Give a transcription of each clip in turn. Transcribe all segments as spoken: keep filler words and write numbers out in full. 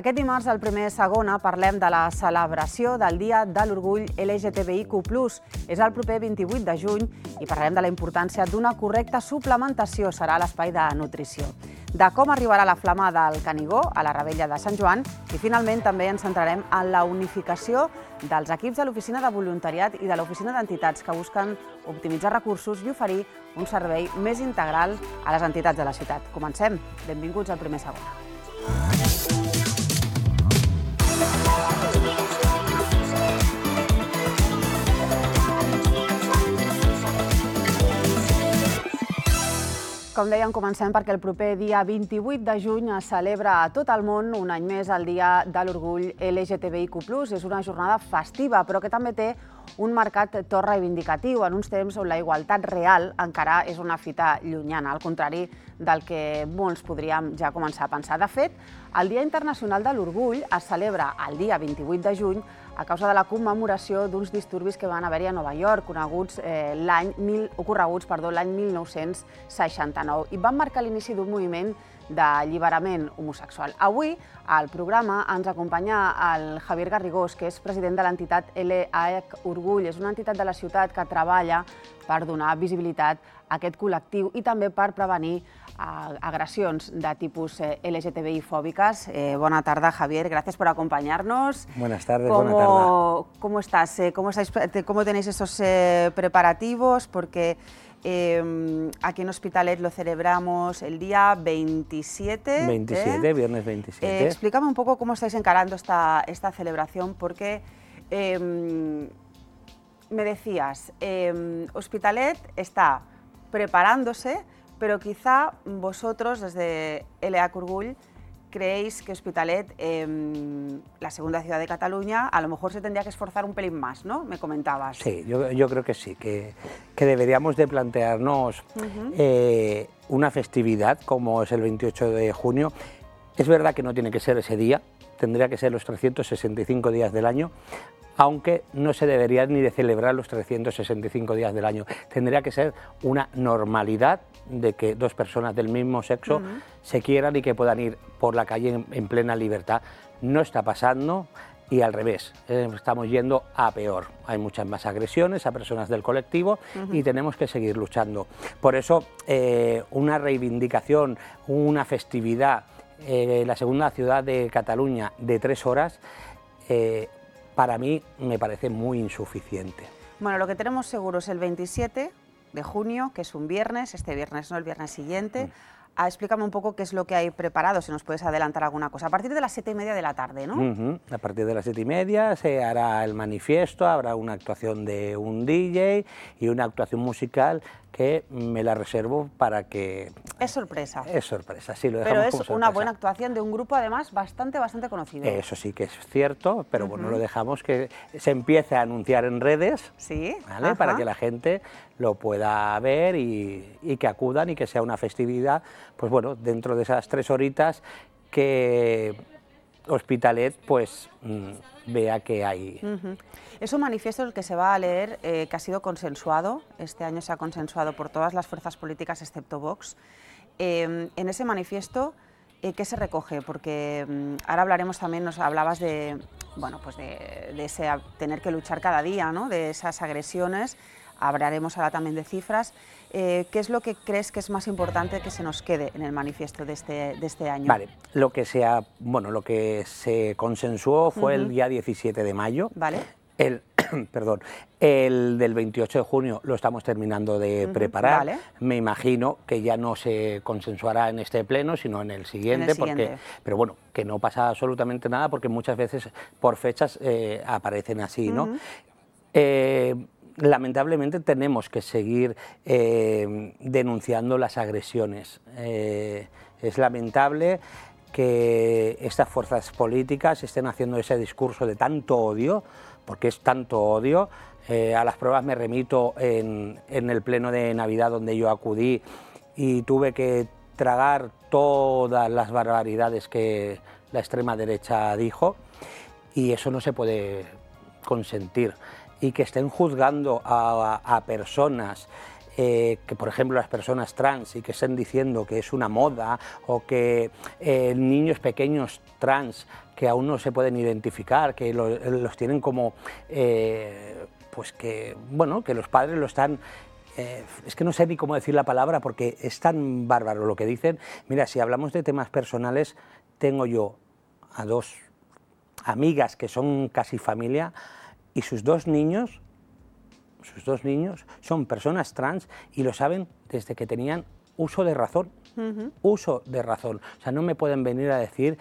Aquest dimarts, al primer segona, parlem de la celebració del Dia de l'Orgull L G T B I Q plus. És el proper vint-i-vuit de juny i parlarem de la importància d'una correcta suplementació. Serà l'espai de nutrició. De com arribarà la flama del Canigó a la Revetlla de Sant Joan i, finalment, també ens centrarem en la unificació dels equips de l'Oficina de Voluntariat i de l'Oficina d'Entitats que busquen optimitzar recursos i oferir un servei més integral a les entitats de la ciutat. Comencem. Benvinguts al primer segona. Com dèiem, comencem perquè el proper dia vint-i-vuit de juny es celebra a tot el món un any més el Dia de l'Orgull L G T B I Q plus. És una jornada festiva, però que també té un marcat to reivindicatiu en uns temps on la igualtat real encara és una fita llunyana, al contrari del que molts podríem ja començar a pensar. De fet, el Dia Internacional de l'Orgull es celebra el dia vint-i-vuit de juny a causa de la commemoració d'uns disturbis que van haver-hi a Nova York, coneguts eh, l'any ocorreguts perdó l'any mil nou-cents seixanta-nou, i van marcar l'inici d'un moviment d'alliberament homosexual. Avui, al programa, ens acompanya el Javier Garrigós, que és president de l'entitat L A E C Orgull. És una entitat de la ciutat que treballa per donar visibilitat a aquest col·lectiu i també per prevenir agressions de tipus L G T B I fòbiques. Eh, buena tarde, Javier. Gracias por acompañarnos. Buenas tardes, ¿Cómo, buena tarde. ¿Cómo estás? ¿Cómo, estáis, ¿Cómo tenéis esos eh, preparativos? Porque eh, aquí en Hospitalet lo celebramos el día veintisiete. veintisiete, ¿eh? Viernes veintisiete. Eh, explícame un poco cómo estáis encarando esta, esta celebración, porque eh, me decías, eh, Hospitalet está preparándose, pero quizá vosotros, desde L A E C Orgull, creéis que Hospitalet, eh, la segunda ciudad de Cataluña, a lo mejor se tendría que esforzar un pelín más, ¿no? Me comentabas. Sí, yo, yo creo que sí, que, que deberíamos de plantearnos uh-huh. eh, una festividad como es el veintiocho de junio. Es verdad que no tiene que ser ese día, tendría que ser los trescientos sesenta y cinco días del año, aunque no se debería ni de celebrar los trescientos sesenta y cinco días del año. Tendría que ser una normalidad de que dos personas del mismo sexo uh-huh. se quieran y que puedan ir por la calle en, en plena libertad. No está pasando y al revés, eh, estamos yendo a peor. Hay muchas más agresiones a personas del colectivo uh-huh. y tenemos que seguir luchando. Por eso, eh, una reivindicación, una festividad, eh, la segunda ciudad de Cataluña de tres horas, eh, para mí me parece muy insuficiente. Bueno, lo que tenemos seguro es el veintisiete de junio, que es un viernes, este viernes no, el viernes siguiente. Mm. Ah, explícame un poco qué es lo que hay preparado, si nos puedes adelantar alguna cosa. A partir de las siete y media de la tarde, ¿no? Uh-huh. A partir de las siete y media se hará el manifiesto, habrá una actuación de un D J y una actuación musical que me la reservo para que... Es sorpresa. Es sorpresa, sí, lo dejamos pero es como sorpresa. Una buena actuación de un grupo, además, bastante, bastante conocido. Eso sí que es cierto, pero uh-huh. bueno, lo dejamos que se empiece a anunciar en redes, sí, ¿vale? Para que la gente lo pueda ver y, y que acudan y que sea una festividad, pues bueno, dentro de esas tres horitas que Hospitalet pues mmm, vea que hay. Uh-huh. Es un manifiesto el que se va a leer, eh, que ha sido consensuado, este año se ha consensuado por todas las fuerzas políticas excepto Vox. Eh, en ese manifiesto, eh, ¿qué se recoge? Porque eh, ahora hablaremos también, nos hablabas de, bueno, pues de, de ese tener que luchar cada día, ¿no? De esas agresiones, hablaremos ahora también de cifras. Eh, ¿Qué es lo que crees que es más importante que se nos quede en el manifiesto de este, de este año? Vale, lo que, se ha, bueno, lo que se consensuó fue uh-huh. el día diecisiete de mayo. Vale. El, perdón, el del veintiocho de junio lo estamos terminando de uh-huh, preparar. Vale. Me imagino que ya no se consensuará en este pleno, sino en el siguiente, en el siguiente. Porque, pero bueno, que no pasa absolutamente nada porque muchas veces por fechas eh, aparecen así, ¿no? Uh-huh. eh, lamentablemente tenemos que seguir eh, denunciando las agresiones. Eh, es lamentable que estas fuerzas políticas estén haciendo ese discurso de tanto odio, porque es tanto odio. Eh, a las pruebas me remito en, en el pleno de Navidad donde yo acudí y tuve que tragar todas las barbaridades que la extrema derecha dijo, y eso no se puede consentir. Y que estén juzgando a, a personas eh, que por ejemplo las personas trans y que estén diciendo que es una moda o que eh, niños pequeños trans que aún no se pueden identificar, que lo, los tienen como, eh, pues que, bueno, que los padres lo están... Eh, es que no sé ni cómo decir la palabra porque es tan bárbaro lo que dicen. Mira, si hablamos de temas personales, tengo yo a dos amigas que son casi familia y sus dos niños, sus dos niños son personas trans y lo saben desde que tenían uso de razón, uh-huh. uso de razón. O sea, no me pueden venir a decir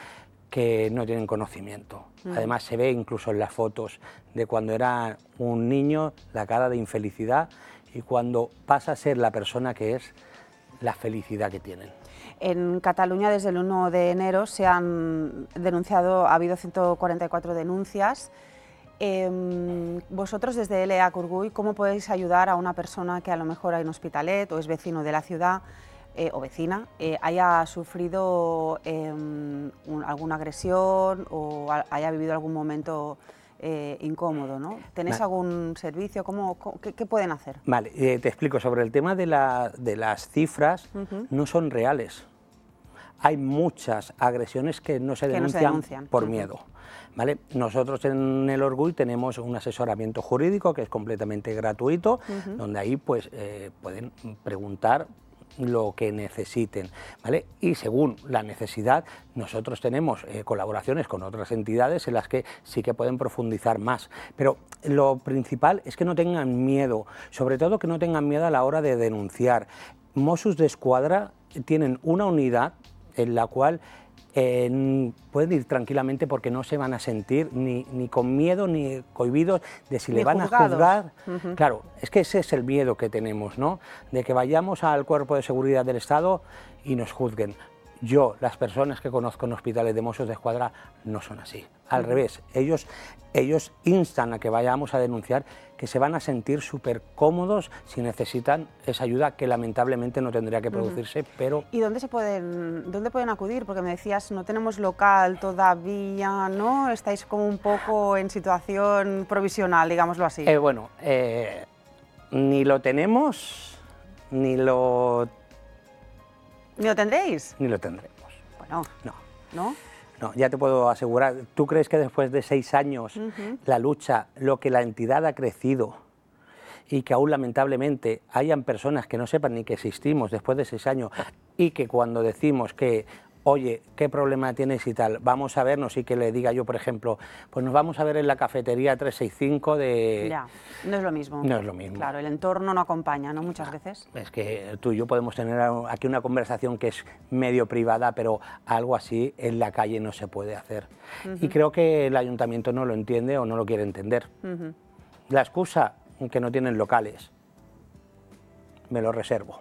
que no tienen conocimiento. Uh-huh. Además se ve incluso en las fotos de cuando era un niño la cara de infelicidad y cuando pasa a ser la persona que es, la felicidad que tienen. En Cataluña desde el uno de enero se han denunciado, ha habido ciento cuarenta y cuatro denuncias. Eh, vosotros desde L E A C Orgull, ¿cómo podéis ayudar a una persona que a lo mejor en Hospitalet o es vecino de la ciudad eh, o vecina, eh, haya sufrido eh, un, alguna agresión o a, haya vivido algún momento Eh, incómodo, ¿no? ¿Tenéis vale. algún servicio? ¿Cómo, cómo, qué, ¿Qué pueden hacer? Vale, eh, te explico. Sobre el tema de, la, de las cifras, uh-huh. no son reales. Hay muchas agresiones que no se, que denuncian, no se denuncian por uh-huh. miedo. ¿Vale? Nosotros en el Orgull tenemos un asesoramiento jurídico que es completamente gratuito, uh-huh. donde ahí pues, eh, pueden preguntar lo que necesiten, ¿vale? Y según la necesidad, nosotros tenemos eh, colaboraciones con otras entidades en las que sí que pueden profundizar más. Pero lo principal es que no tengan miedo, sobre todo que no tengan miedo a la hora de denunciar. Mossos d'Esquadra tienen una unidad en la cual Eh, pueden ir tranquilamente porque no se van a sentir ni, ni con miedo ni cohibidos de si ni le van juzgados. a juzgar. Uh-huh. Claro, es que ese es el miedo que tenemos, ¿no? De que vayamos al Cuerpo de Seguridad del Estado y nos juzguen. Yo, las personas que conozco en hospitales de Mossos d'Esquadra no son así. Al uh-huh. revés, ellos, ellos instan a que vayamos a denunciar, que se van a sentir súper cómodos si necesitan esa ayuda que lamentablemente no tendría que producirse, uh-huh. pero... ¿Y dónde se pueden, dónde pueden acudir? Porque me decías, no tenemos local todavía, ¿no? Estáis como un poco en situación provisional, digámoslo así. Eh, bueno, eh, ni lo tenemos, ni lo... ¿Ni lo tendréis? Ni lo tendremos. Bueno, no. ¿No? No, ya te puedo asegurar. ¿Tú crees que después de seis años uh-huh. la lucha, lo que la entidad ha crecido y que aún lamentablemente hayan personas que no sepan ni que existimos después de seis años y que cuando decimos que, oye, ¿qué problema tienes y tal? Vamos a vernos y que le diga yo, por ejemplo, pues nos vamos a ver en la cafetería trescientos sesenta y cinco de... Ya, no es lo mismo. No es lo mismo. Claro, el entorno no acompaña, ¿no? Muchas veces. Es que tú y yo podemos tener aquí una conversación que es medio privada, pero algo así en la calle no se puede hacer. Uh-huh. Y creo que el ayuntamiento no lo entiende o no lo quiere entender. Uh-huh. La excusa, que no tienen locales, me lo reservo.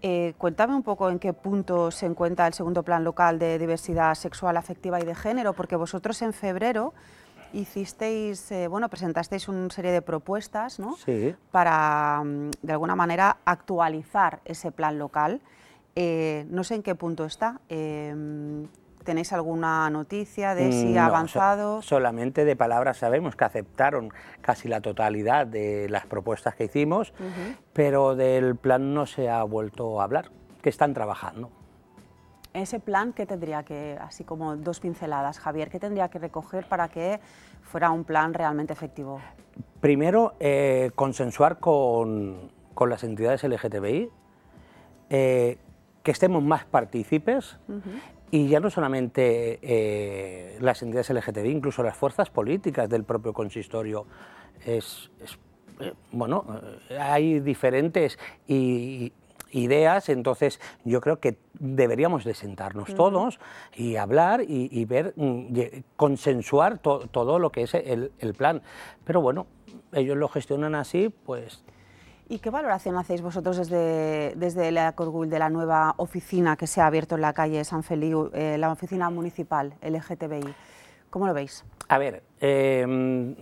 Eh, cuéntame un poco en qué punto se encuentra el segundo plan local de diversidad sexual, afectiva y de género, porque vosotros en febrero hicisteis, eh, bueno, presentasteis una serie de propuestas, ¿no? Sí. Para, de alguna manera, actualizar ese plan local. Eh, no sé en qué punto está. Eh, ¿Tenéis alguna noticia de si ha no, avanzado? So, solamente de palabras sabemos que aceptaron casi la totalidad de las propuestas que hicimos, uh-huh. pero del plan no se ha vuelto a hablar, que están trabajando. Ese plan, ¿qué tendría que, así como dos pinceladas, Javier, qué tendría que recoger para que fuera un plan realmente efectivo? Primero, eh, consensuar con, con las entidades L G T B I, eh, que estemos más partícipes, uh-huh. y ya no solamente eh, las entidades L G T B I, incluso las fuerzas políticas del propio consistorio. Es, es, eh, bueno, hay diferentes y, ideas, entonces yo creo que deberíamos de sentarnos uh-huh. todos y hablar y, y ver, y consensuar to, todo lo que es el, el plan. Pero bueno, ellos lo gestionan así, pues... ¿Y qué valoración hacéis vosotros desde, desde L E A C Orgull de la nueva oficina que se ha abierto en la calle San Feliu, eh, la oficina municipal L G T B I? ¿Cómo lo veis? A ver, eh,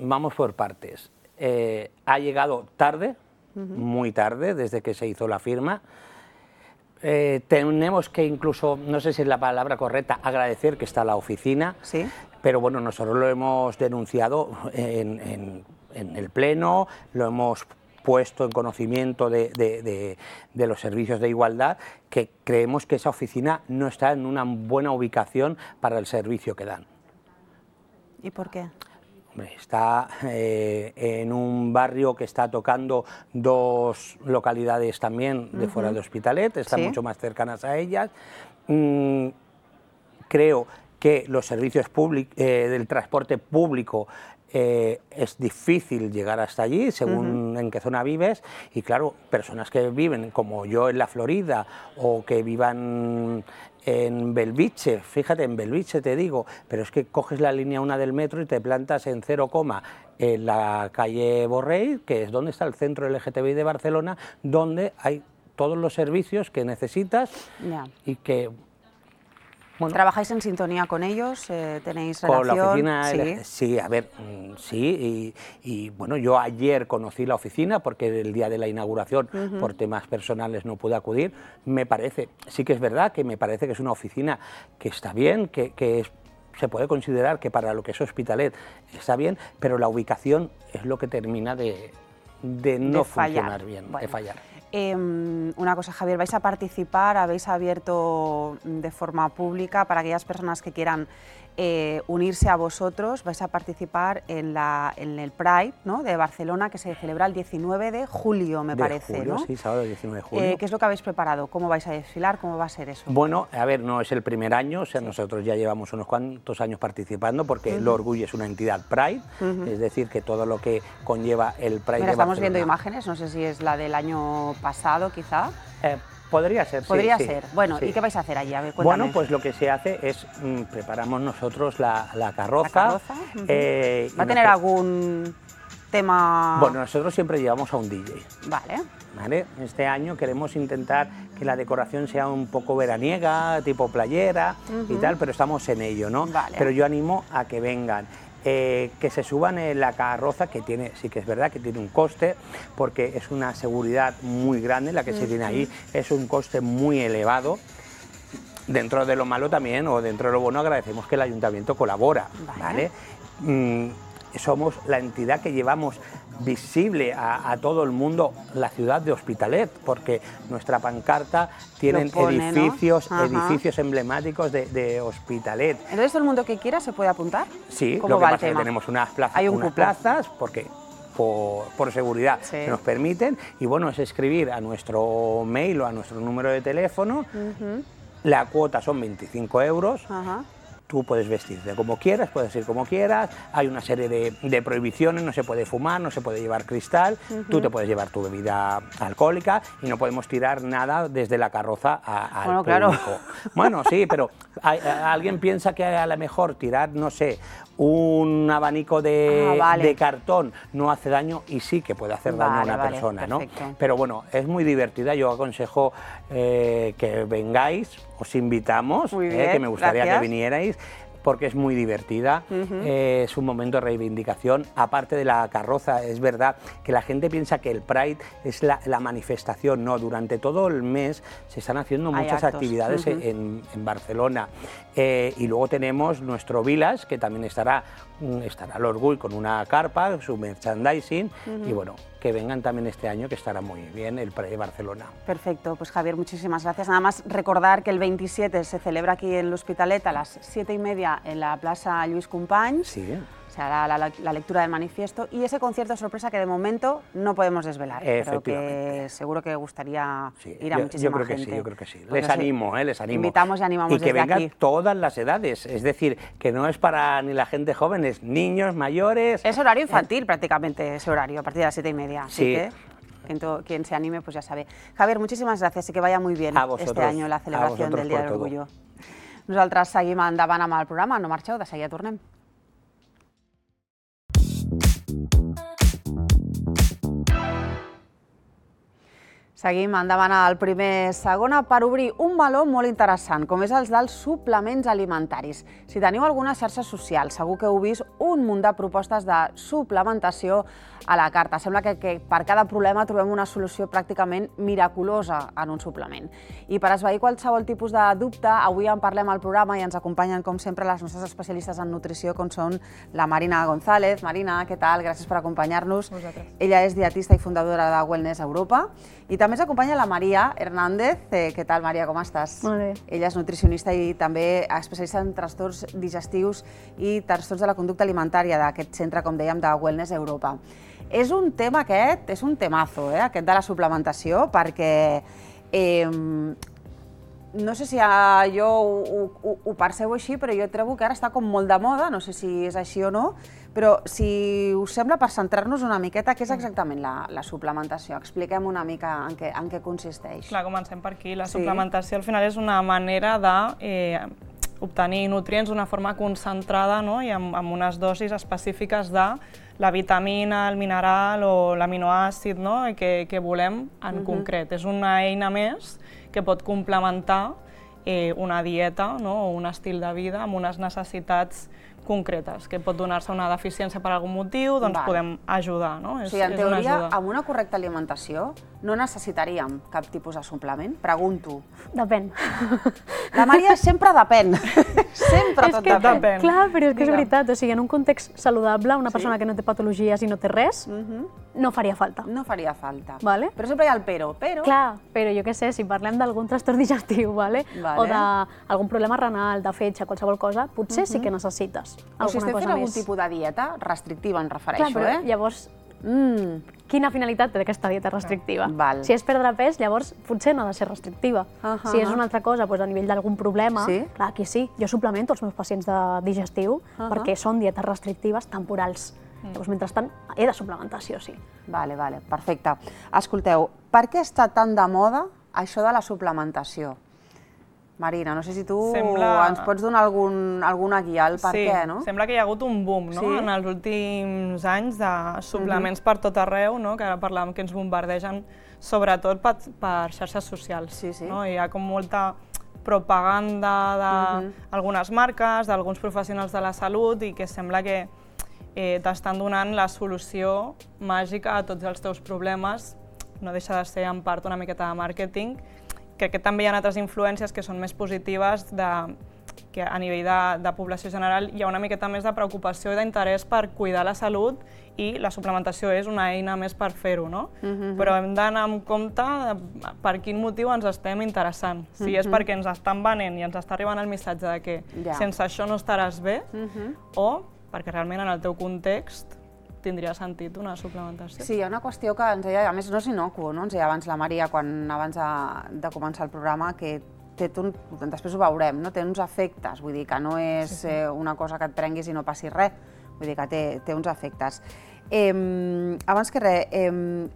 vamos por partes. Eh, ha llegado tarde, uh-huh. muy tarde, desde que se hizo la firma. Eh, tenemos que incluso, no sé si es la palabra correcta, agradecer que está la oficina, ¿sí? Pero bueno, nosotros lo hemos denunciado en, en, en el Pleno, lo hemos puesto en conocimiento de, de, de, de los servicios de igualdad, que creemos que esa oficina no está en una buena ubicación para el servicio que dan. ¿Y por qué? Hombre, está eh, en un barrio que está tocando dos localidades también de uh-huh. fuera de Hospitalet, están ¿Sí? mucho más cercanas a ellas. Mm, creo que los servicios públicos, eh, del transporte público, eh, es difícil llegar hasta allí, según uh-huh. en qué zona vives, y claro, personas que viven como yo en la Florida o que vivan en Belviche, fíjate, en Belviche te digo, pero es que coges la línea una del metro y te plantas en cero coma en la calle Borrell, que es donde está el centro L G T B I de Barcelona, donde hay todos los servicios que necesitas yeah. y que... Bueno, ¿trabajáis en sintonía con ellos? Eh, ¿Tenéis relación? Con la oficina, sí, sí a ver, sí, y, y bueno, yo ayer conocí la oficina porque el día de la inauguración, uh-huh. por temas personales no pude acudir. Me parece, sí que es verdad que me parece que es una oficina que está bien, que, que es, se puede considerar que para lo que es Hospitalet está bien, pero la ubicación es lo que termina de, de no de funcionar bien, bueno. de fallar. Eh, una cosa, Javier, ¿vais a participar? ¿Habéis abierto de forma pública para aquellas personas que quieran eh, unirse a vosotros? ¿Vais a participar en, la, en el Pride, ¿no?, de Barcelona, que se celebra el diecinueve de julio, me de parece, julio, ¿no? Sí, sábado diecinueve de julio. Eh, ¿Qué es lo que habéis preparado? ¿Cómo vais a desfilar? ¿Cómo va a ser eso? Bueno, a ver, no es el primer año, o sea, sí. nosotros ya llevamos unos cuantos años participando porque uh-huh. el Orgullo es una entidad Pride, uh-huh. es decir, que todo lo que conlleva el Pride Mira, de estamos Barcelona... viendo imágenes, no sé si es la del año pasado, quizá. Eh, podría ser, Podría sí. ser. Sí, bueno, sí. ¿y qué vais a hacer allí? A ver, cuéntame. Bueno, pues lo que se hace es, mmm, preparamos nosotros la, la carroza. ¿La carroza? Uh-huh. eh, ¿Va a tener nosotros... algún tema...? Bueno, nosotros siempre llevamos a un D J. Vale. ¿Vale? Este año queremos intentar que la decoración sea un poco veraniega, tipo playera uh-huh. y tal, pero estamos en ello, ¿no? Vale. Pero yo animo a que vengan. Eh, que se suban en la carroza, que tiene, sí que es verdad que tiene un coste, porque es una seguridad muy grande la que uh-huh. se tiene ahí, es un coste muy elevado. Dentro de lo malo también, o dentro de lo bueno, agradecemos que el ayuntamiento colabora, ¿vale? ¿vale? Mm, somos la entidad que llevamos visible a, a todo el mundo la ciudad de Hospitalet, porque nuestra pancarta tienen pone, edificios, ¿no? edificios emblemáticos de, de Hospitalet. Entonces, ¿todo el mundo que quiera se puede apuntar? Sí, ¿Cómo lo que va pasa el es tema? que tenemos unas plazas, Hay un unas cupo. plazas porque por, por seguridad sí. se nos permiten, y bueno, es escribir a nuestro mail o a nuestro número de teléfono. Uh-huh. La cuota son veinticinco euros. Uh-huh. Tú puedes vestirte como quieras, puedes ir como quieras, hay una serie de, de prohibiciones, no se puede fumar, no se puede llevar cristal, uh-huh. tú te puedes llevar tu bebida alcohólica y no podemos tirar nada desde la carroza a, al bueno, público. Claro. Bueno, sí, pero hay, alguien piensa que a lo mejor tirar, no sé, un abanico de, ah, vale. de cartón no hace daño, y sí que puede hacer daño vale, a una vale, persona, perfecto. ¿no? Pero bueno, es muy divertida, yo aconsejo eh, que vengáis, os invitamos, bien, eh, que me gustaría gracias. que vinierais, porque es muy divertida, uh-huh. eh, es un momento de reivindicación. Aparte de la carroza, es verdad que la gente piensa que el Pride es la, la manifestación, no, durante todo el mes se están haciendo Hay muchas actos. actividades uh-huh. en, en Barcelona, eh, y luego tenemos nuestro Village, que también estará, estará el Orgullo con una carpa, su merchandising, uh-huh. y bueno, que vengan también este año, que estará muy bien el Pride de Barcelona. Perfecto, pues Javier, muchísimas gracias. Nada más recordar que el veintisiete se celebra aquí en l'Hospitalet a las siete y media en la plaza Lluís Companys. Sí. Se hará la, la lectura del manifiesto y ese concierto sorpresa que de momento no podemos desvelar, pero que seguro que gustaría sí, ir a yo, muchísima yo creo gente. Que sí, yo creo que sí. Les animo, eh, les animo. Invitamos y animamos y que desde vengan aquí. Todas las edades, es decir, que no es para ni la gente joven, es niños, mayores. Es horario infantil eh. prácticamente, ese horario, a partir de las siete y media. Así sí. que quien, to, quien se anime, pues ya sabe. Javier, muchísimas gracias y que vaya muy bien vosotros, este año la celebración del Día de l'Orgullo. Nosaltres seguim endavant amb el programa, no marxeu, de seguida tornem. Seguim endavant al primer segona per obrir un meló molt interessant, com és els dels suplements alimentaris. Si teniu alguna xarxa social, segur que heu vist un munt de propostes de suplementació a la carta. Sembla que, que per cada problema trobem una solució pràcticament miraculosa en un suplement. I per esvair qualsevol tipus de dubte, avui en parlem al programa i ens acompanyen, com sempre, les nostres especialistes en nutrició, com són la Marina González. Marina, què tal? Gràcies per acompanyar-nos. Ella és dietista i fundadora de Wellness Europa. I també ens acompanya la Maria Hernández. Eh, què tal, Maria, com estàs? Molt bé. Ella és nutricionista i també especialista en trastorns digestius i trastorns de la conducta alimentària d'aquest centre, com dèiem, de Wellness Europa. És un tema aquest, és un temazo, eh, aquest de la suplementació, perquè eh, no sé si jo ho, ho, ho percebo així, però jo trobo que ara està com molt de moda, no sé si és així o no, però si us sembla, per centrar-nos una miqueta, què és exactament la, la suplementació? Expliquem una mica en què, en què consisteix. Clar, comencem per aquí. La Sí. suplementació al final és una manera de eh, obtenir nutrients d'una forma concentrada, no? I amb, amb unes dosis específiques de la vitamina, el mineral o l'aminoàcid, no? que, que volem en Mhm. concret. És una eina més que pot complementar eh, una dieta, no? O un estil de vida amb unes necessitats concretes, que pot donar-se una deficiència per algun motiu, doncs Val. podem ajudar, no? O És, sigui, en és una teoria, ajuda. amb una correcta alimentació no necessitaríem cap tipus de suplement? Pregunto. Depèn. La Maria sempre depèn. Sempre És tot que, depèn. depèn. clar, però és que és Digue'm. veritat, o sigui, en un context saludable, una Sí. persona que no té patologies i no té res, Mhm. no faria falta. No faria falta. Vale. Però sempre hi ha el però. Però... Clar, però jo què sé, si parlem d'algun trastorn digestiu, vale? Vale. o d'algun problema renal, de fetge, qualsevol cosa, potser sí que necessites O sigui, alguna estem cosa fent algun més. tipus de dieta restrictiva, em Clar, refereixo, però eh? llavors, Mm. quina finalitat té aquesta dieta restrictiva? Val. Si és perdre pes, llavors potser no ha de ser restrictiva. Ahà. Si és una altra cosa, doncs a nivell d'algun problema, Sí. clar, aquí sí. Jo suplemento els meus pacients de digestiu Ahà. perquè són dietes restrictives temporals. Llavors, mentrestant, he de suplementar, sí o sí. Vale, vale, perfecte. Escolteu, per què està tan de moda això de la suplementació? Marina, no sé si tu Sembla- ens pots donar algun, alguna guia al per sí, què, no? sembla que hi ha hagut un boom, no? Sí? En els últims anys de suplements per tot arreu, no? Que ara parlàvem que ens bombardegen, sobretot per, per xarxes socials. Sí, sí. No? Hi ha com molta propaganda d'algunes marques, d'alguns professionals de la salut i que sembla que eh, t'estan donant la solució màgica a tots els teus problemes. No deixa de ser en part una miqueta de màrqueting. Crec que també hi ha altres influències que són més positives, de, que a nivell de, de població general hi ha una miqueta més de preocupació i d'interès per cuidar la salut i la suplementació és una eina més per fer-ho, no? Però hem d'anar amb compte de per quin motiu ens estem interessant. Si és perquè ens estan venent i ens està arribant el missatge de que Ja. sense això no estaràs bé, o perquè realment en el teu context tindria sentit una suplementació. Sí, hi ha una qüestió que ens deia, a més no és inocu, no? Ens deia abans la Maria, quan abans de, de començar el programa, que té un, després ho veurem, no? Té uns efectes, vull dir que no és sí, sí. Eh, una cosa que et prenguis i no passi res, vull dir que té, té uns efectes. Eh, abans que res, eh,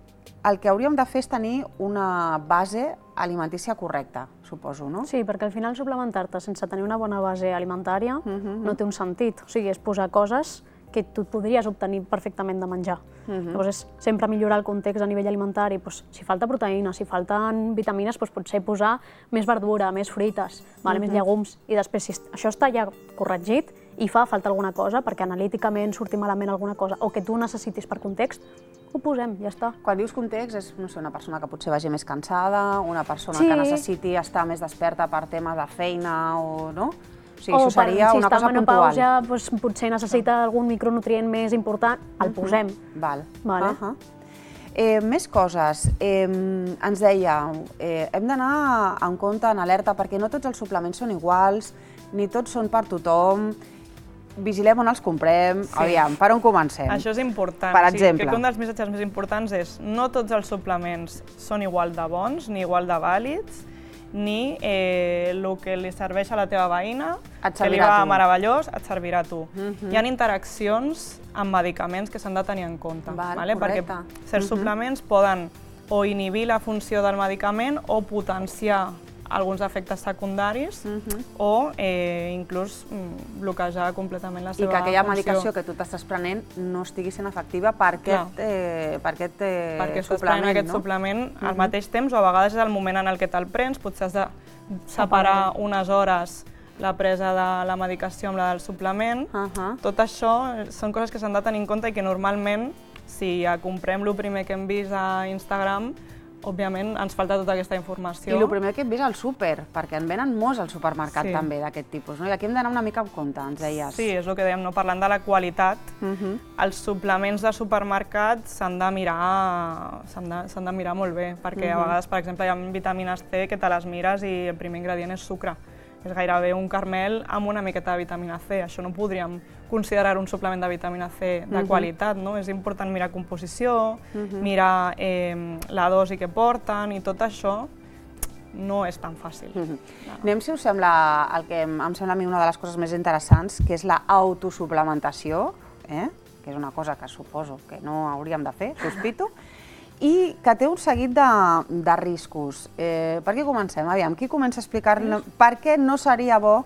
el que hauríem de fer és tenir una base alimentícia correcta, suposo, no? Sí, perquè al final suplementar-te sense tenir una bona base alimentària no té un sentit. O sigui, és posar coses que tu podries obtenir perfectament de menjar. Llavors és sempre millorar el context a nivell alimentari. Doncs, si falta proteïna, si falten vitamines, doncs potser posar més verdura, més fruites, vale, més llegums. I després, si això està ja corregit i fa falta alguna cosa, perquè analíticament surti malament alguna cosa, o que tu necessitis per context, ho posem, ja està. Quan dius context, és no sé, una persona que potser vagi més cansada, una persona Sí. que necessiti estar més desperta per tema de feina o no? O sigui, O això seria per, una si cosa està en puntual. menopausa, doncs, potser necessita algun micronutrient més important, el posem. Val. Vale. Uh -huh. eh, més coses. Eh, ens deia, eh, hem d'anar en compte, en alerta, perquè no tots els suplements són iguals, ni tots són per tothom. Vigilem on els comprem. Sí. Aviam, per on comencem? Això és important. Per O sigui, exemple. crec que un dels missatges més importants és no tots els suplements són igual de bons, ni igual de vàlids, ni eh, el que li serveix a la teva veïna, Et que li servirà a va tu. meravellós, et servirà a tu. Hi ha interaccions amb medicaments que s'han de tenir en compte, Val, vale? correcte. Perquè certs suplements poden o inhibir la funció del medicament o potenciar alguns efectes secundaris o inclús bloquejar completament la seva funció. I que aquella funció. medicació que tu t'estàs prenent no estigui sent efectiva per aquest suplement. Perquè estàs prenent aquest suplement al mateix temps o a vegades és el moment en el que te'l prens, potser has de separar unes hores la presa de la medicació amb la del suplement. Tot això són coses que s'han de tenir en compte i que normalment, si comprem el primer que hem vist a Instagram, òbviament ens falta tota aquesta informació. I el primer que hem vist al súper, perquè en venen molts al supermercat també d'aquest tipus. I aquí hem d'anar una mica amb compte, ens deies. Sí, és el que dèiem, parlant de la qualitat, els suplements de supermercat s'han de mirar s'han de mirar molt bé, perquè a vegades, per exemple, hi ha vitamines C que te les mires i el primer ingredient és sucre. És gairebé un caramel amb una miqueta de vitamina C. Això no podríem considerar un suplement de vitamina C de qualitat, no? És important mirar composició, mirar la dosi que porten i tot això no és tan fàcil. Anem, si us sembla, el que em sembla a mi una de les coses més interessants, que és l'autosuplementació, que és una cosa que suposo que no hauríem de fer, sospito, i que té un seguit de riscos. Per què comencem? Aviam, qui comença a explicar-nos per què no seria bo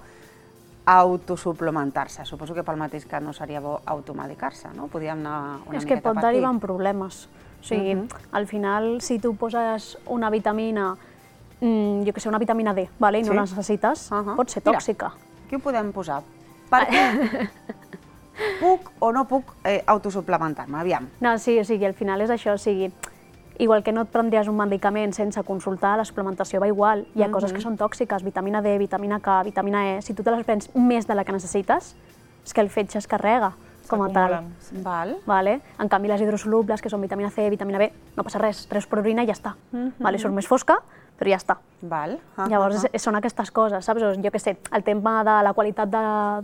autosuplementar-se? Suposo que pel mateix que no seria bo automedicar-se, no? Podríem anar una miqueta per aquí. És que pot derivar en problemes. O sigui, al final, si tu poses una vitamina, jo què sé, una vitamina D, i no la necessites, pot ser tòxica. Aquí ho podem posar. Per què puc o no puc autosuplementar-me? Aviam. No, sí, o sigui, al final és això, o sigui, igual que no et prendries un medicament sense consultar, la suplementació va igual. Hi ha coses que són tòxiques, vitamina D, vitamina K, vitamina E. Si tu te les prens més de la que necessites, és que el fetge es carrega com a tal. En canvi, les hidrosolubles, que són vitamina C, vitamina B, no passa res, treus per orina i ja està. Surt més fosca, però ja està. Llavors, són aquestes coses, saps? Jo què sé, el tema de la qualitat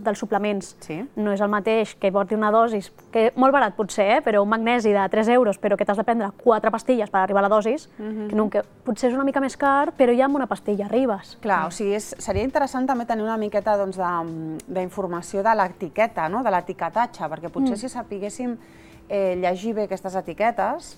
dels suplements no és el mateix que porti una dosi, que molt barat potser, però un magnesi de tres euros, però que t'has de prendre quatre pastilles per arribar a la dosi, que potser és una mica més car, però ja amb una pastilla arribes. Clar, o sigui, seria interessant també tenir una miqueta d'informació de l'etiqueta, de l'etiquetatge, perquè potser si sapiguéssim llegir bé aquestes etiquetes,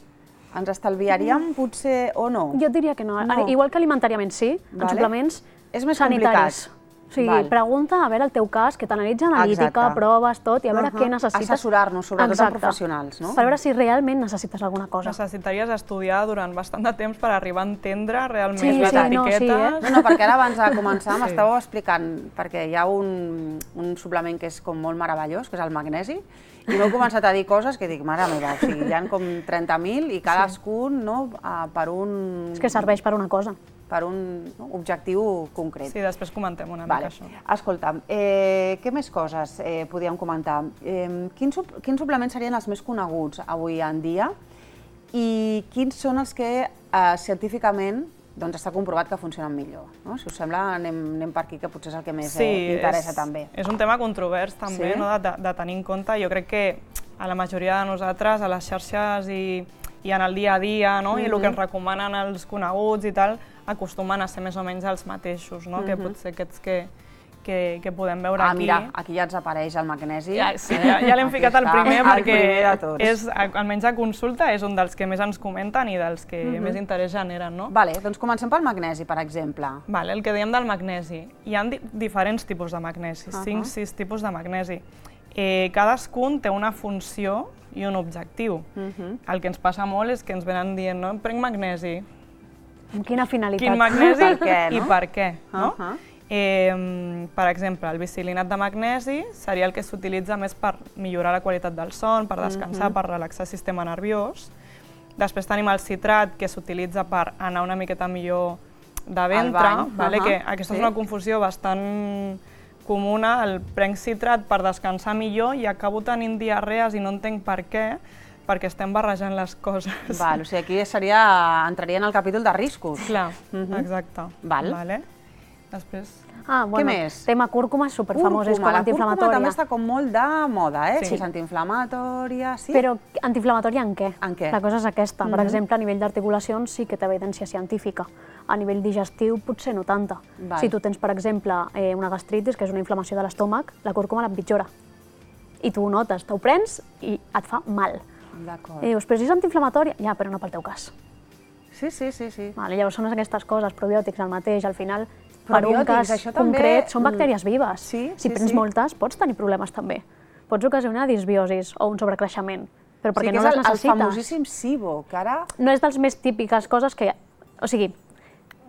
ens estalviaríem potser o no? Jo diria que no. Igual que alimentàriament sí, en suplements sanitaris. O sigui, pregunta a veure el teu cas, que t'analitza analítica, proves, tot, i a veure què necessites. Assessorar-nos, sobretot amb professionals, no? Per veure si realment necessites alguna cosa. Necessitaries estudiar durant bastant de temps per arribar a entendre realment les etiquetes. No, perquè ara abans de començar m'estàveu explicant, perquè hi ha un suplement que és com molt meravellós, que és el magnesi, i m'heu començat a dir coses que dic, mare meva, o sigui, hi ha com trenta mil i cadascun per un... És que serveix per una cosa. Per un objectiu concret. Sí, després comentem una mica això. Escolta'm, què més coses podríem comentar? Quins suplements serien els més coneguts avui en dia i quins són els que científicament està comprovat que funcionen millor? Si us sembla, anem per aquí, que potser és el que més interessa també. Sí, és un tema controvers també, de tenir en compte. Jo crec que a la majoria de nosaltres, a les xarxes i en el dia a dia, i el que ens recomanen els coneguts i tal, acostumen a ser més o menys els mateixos, que potser aquests que podem veure aquí. Ah, mira, aquí ja ens apareix el magnesi. Sí, ja l'hem ficat al primer perquè, almenys a consulta, és un dels que més ens comenten i dels que més interès generen. Vale, doncs comencem pel magnesi, per exemple. Vale, el que dèiem del magnesi. Hi ha diferents tipus de magnesi, cinc sis tipus de magnesi. Cadascun té una funció i un objectiu. El que ens passa molt és que ens venen dient, no, prenc magnesi. Amb quina finalitat? Quin magnesi i per què, no? Per exemple, el bicilinat de magnesi seria el que s'utilitza més per millorar la qualitat del son, per descansar, per relaxar el sistema nerviós. Després tenim el citrat, que s'utilitza per anar una miqueta millor de ventre, que aquesta és una confusió bastant comuna, el prenc citrat per descansar millor i acabo tenint diarrees i no entenc per què, perquè estem barrejant les coses. Val, o sigui, aquí entraria en el capítol de riscos. Clar, exacte. Val. Després... Ah, bueno, tema cúrcuma és superfamós, és com antiinflamatòria. La cúrcuma també està com molt de moda, eh? Si és antiinflamatòria, sí. Però antiinflamatòria en què? En què? La cosa és aquesta. Per exemple, a nivell d'articulacions sí que té evidència científica. A nivell digestiu potser no tanta. Si tu tens, per exemple, una gastritis, que és una inflamació de l'estómac, la cúrcuma l'empitjora. I tu ho notes, t'ho prens i et fa mal. D'acord. I dius, però si és antiinflamatòria, ja, però no pel teu cas. Sí, sí, sí, sí. Vale, llavors són aquestes coses, probiòtics, el mateix, al final, per un Probiòtics, cas això també- concret, són bactèries vives. Sí, si sí, prens sí. moltes, pots tenir problemes també. Pots ocasionar disbiosis o un sobrecreixement, però Sí, perquè que no és les el, el necessites. famosíssim SIBO, que ara... No és dels més típiques coses que... O sigui,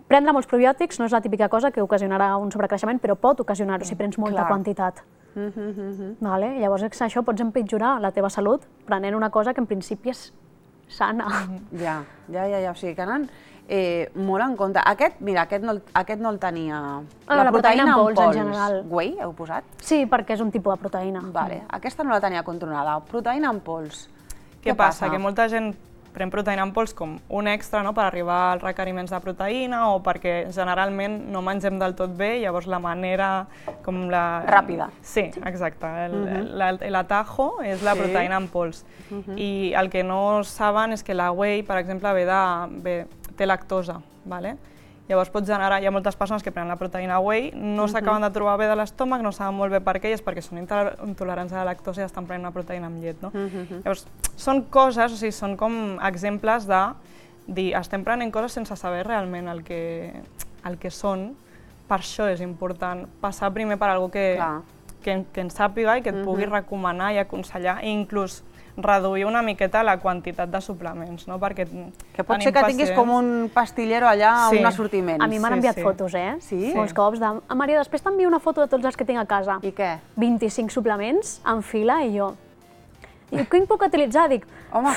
prendre molts probiòtics no és la típica cosa que ocasionarà un sobrecreixement, però pot ocasionar-ho si prens molta Clar. quantitat. Vale? Llavors, és això, pots empitjorar la teva salut prenent una cosa que en principi és sana. Ja, ja, ja, ja, o sigui que anen eh, molt en compte. Aquest, mira, aquest no, el- aquest no el tenia... Ah, la proteïna en pols, en general. Whey, heu posat? Sí, perquè és un tipus de proteïna. Vale, aquesta no la tenia controlada. Proteïna en pols. Què passa? Que molta gent pren proteïna en pols com un extra, no?, per arribar als requeriments de proteïna o perquè generalment no mengem del tot bé, llavors la manera com la... Ràpida. Sí, exacte. El, la- l'atajo és la Sí. proteïna en pols. I el que no saben és que la whey, per exemple, ve de, ve, té lactosa, ¿vale? Llavors pot generar, hi ha moltes persones que prenen la proteïna whey, no s'acaben de trobar bé de l'estómac, no saben molt bé per què, i és perquè són intoler- intolerants a la lactosa i estan prenent una proteïna amb llet, no? Llavors, són coses, o sigui, són com exemples de dir, estem prenent coses sense saber realment el que, el que són, per això és important passar primer per algú que, Clar. que, que en sàpiga i que et pugui recomanar i aconsellar, i inclús reduir una miqueta la quantitat de suplements, no? Perquè Que pot ser que tinguis com un pastillero allà, Sí. un assortiment. A mi m'han Sí, enviat sí. fotos, eh? Sí? Molts cops de... "Ah, Maria, després t'envio una foto de tots els que tinc a casa." I què? vint-i-cinc suplements en fila i jo... Dic, quin puc utilitzar? Dic, Home,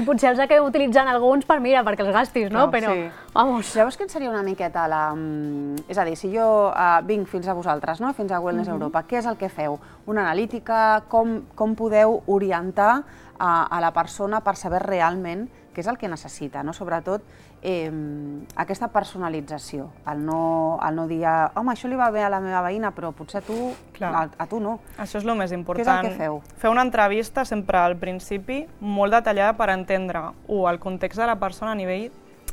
potser els acabem utilitzant alguns per, mira, perquè els gastis, no? Clar, Però, sí. vamos... llavors què en seria una miqueta la... mm, És a dir, si jo eh, vinc fins a vosaltres, no? fins a Wellness Europa, què és el que feu? Una analítica? Com, com podeu orientar a, a la persona per saber realment què és el que necessita, no? Sobretot eh, aquesta personalització, el no, el no dir, home, això li va bé a la meva veïna, però potser a tu, Clar. a, a tu no. Això és el més important. Què és el que feu? Fer una entrevista sempre al principi molt detallada per entendre, u, el context de la persona a nivell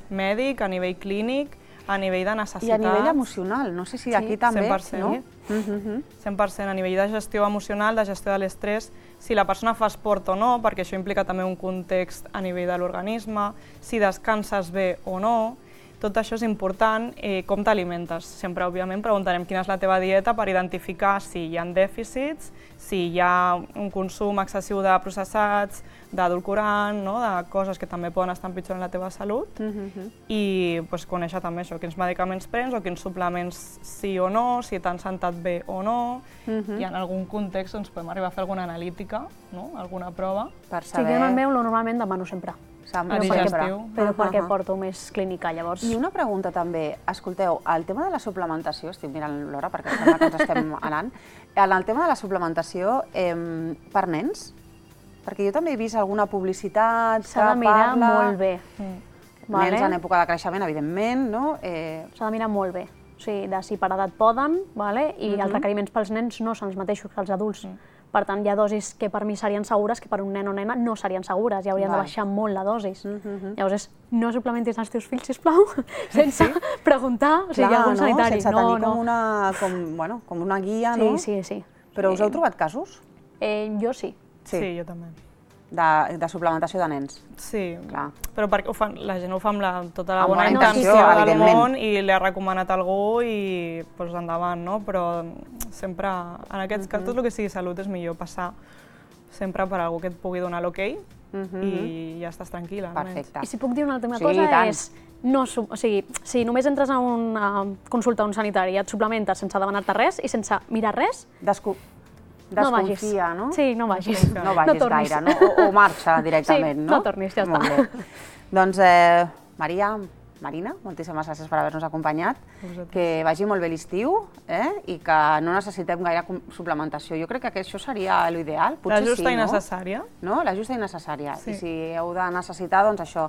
mèdic, a nivell clínic, a nivell de necessitats... I a nivell emocional, no sé si aquí també, cent per cent. no? Mhm. cent per cent a nivell de gestió emocional, de gestió de l'estrès, si la persona fa esport o no, perquè això implica també un context a nivell de l'organisme, si descanses bé o no, tot això és important, eh, com t'alimentes. Sempre, òbviament, preguntarem quina és la teva dieta per identificar si hi ha dèficits, si hi ha un consum excessiu de processats, d'edulcorant, no? De coses que també poden estar empitjorant la teva salut, i pues, conèixer també això, quins medicaments prens o quins suplements sí o no, si t'han sentat bé o no, i en algun context doncs, podem arribar a fer alguna analítica, no? Alguna prova. Per Sí, que jo el meu normalment demano sempre, Sempre, A sempre. digestiu. però perquè Ahà. porto més clínica, llavors... I una pregunta també, escolteu, el tema de la suplementació, estic mirant l'hora perquè sembla que ens estem anant, en el tema de la suplementació eh, per nens, perquè jo també he vist alguna publicitat que S'ha de mirar parla... molt bé. Nens en època de creixement, evidentment, no? Eh, S'ha de mirar molt bé. O sigui, de si per edat poden, vale? I els requeriments pels nens no són els mateixos que els adults. Per tant, hi ha dosis que per mi serien segures que per un nen o nena no serien segures i haurien Val. de baixar molt la dosis. Llavors és, no suplementis els teus fills, sisplau, sense preguntar si hi ha algun no? sanitari. Sense no, tenir no. com una, com, bueno, com una guia, Sí, no? sí, sí. Però us heu trobat casos Eh, jo sí. Sí, sí jo també. de, de suplementació de nens? Sí, Clar. però perquè ho fan, la gent ho fa amb la, tota la Amb bona bona intenció intenció, del evidentment. món i li ha recomanat algú i doncs, endavant, no? Però sempre, en aquests casos, tot el que sigui salut és millor passar sempre per algú que et pugui donar l'ok i ja estàs tranquil·la. almenys. Perfecte. I si puc dir una última Sí, cosa i tant. és, no, su- o sigui, si només entres a una consulta a un sanitari i et suplementes sense demanar-te res i sense mirar res, Desco no vagis. Desconfia, no? Sí, no vagis. No vagis tornis. gaire, no? O, o marxa directament, Sí, no? no tornis, ja Molt està. bé. Doncs, eh, Maria, Marina, moltíssimes gràcies per haver-nos acompanyat. Que vagi molt bé l'estiu eh? I que no necessitem gaire com- suplementació. Jo crec que això seria l'ideal, La potser justa sí, i no? necessària. No? La justa i necessària. Sí. I si heu de necessitar, doncs això,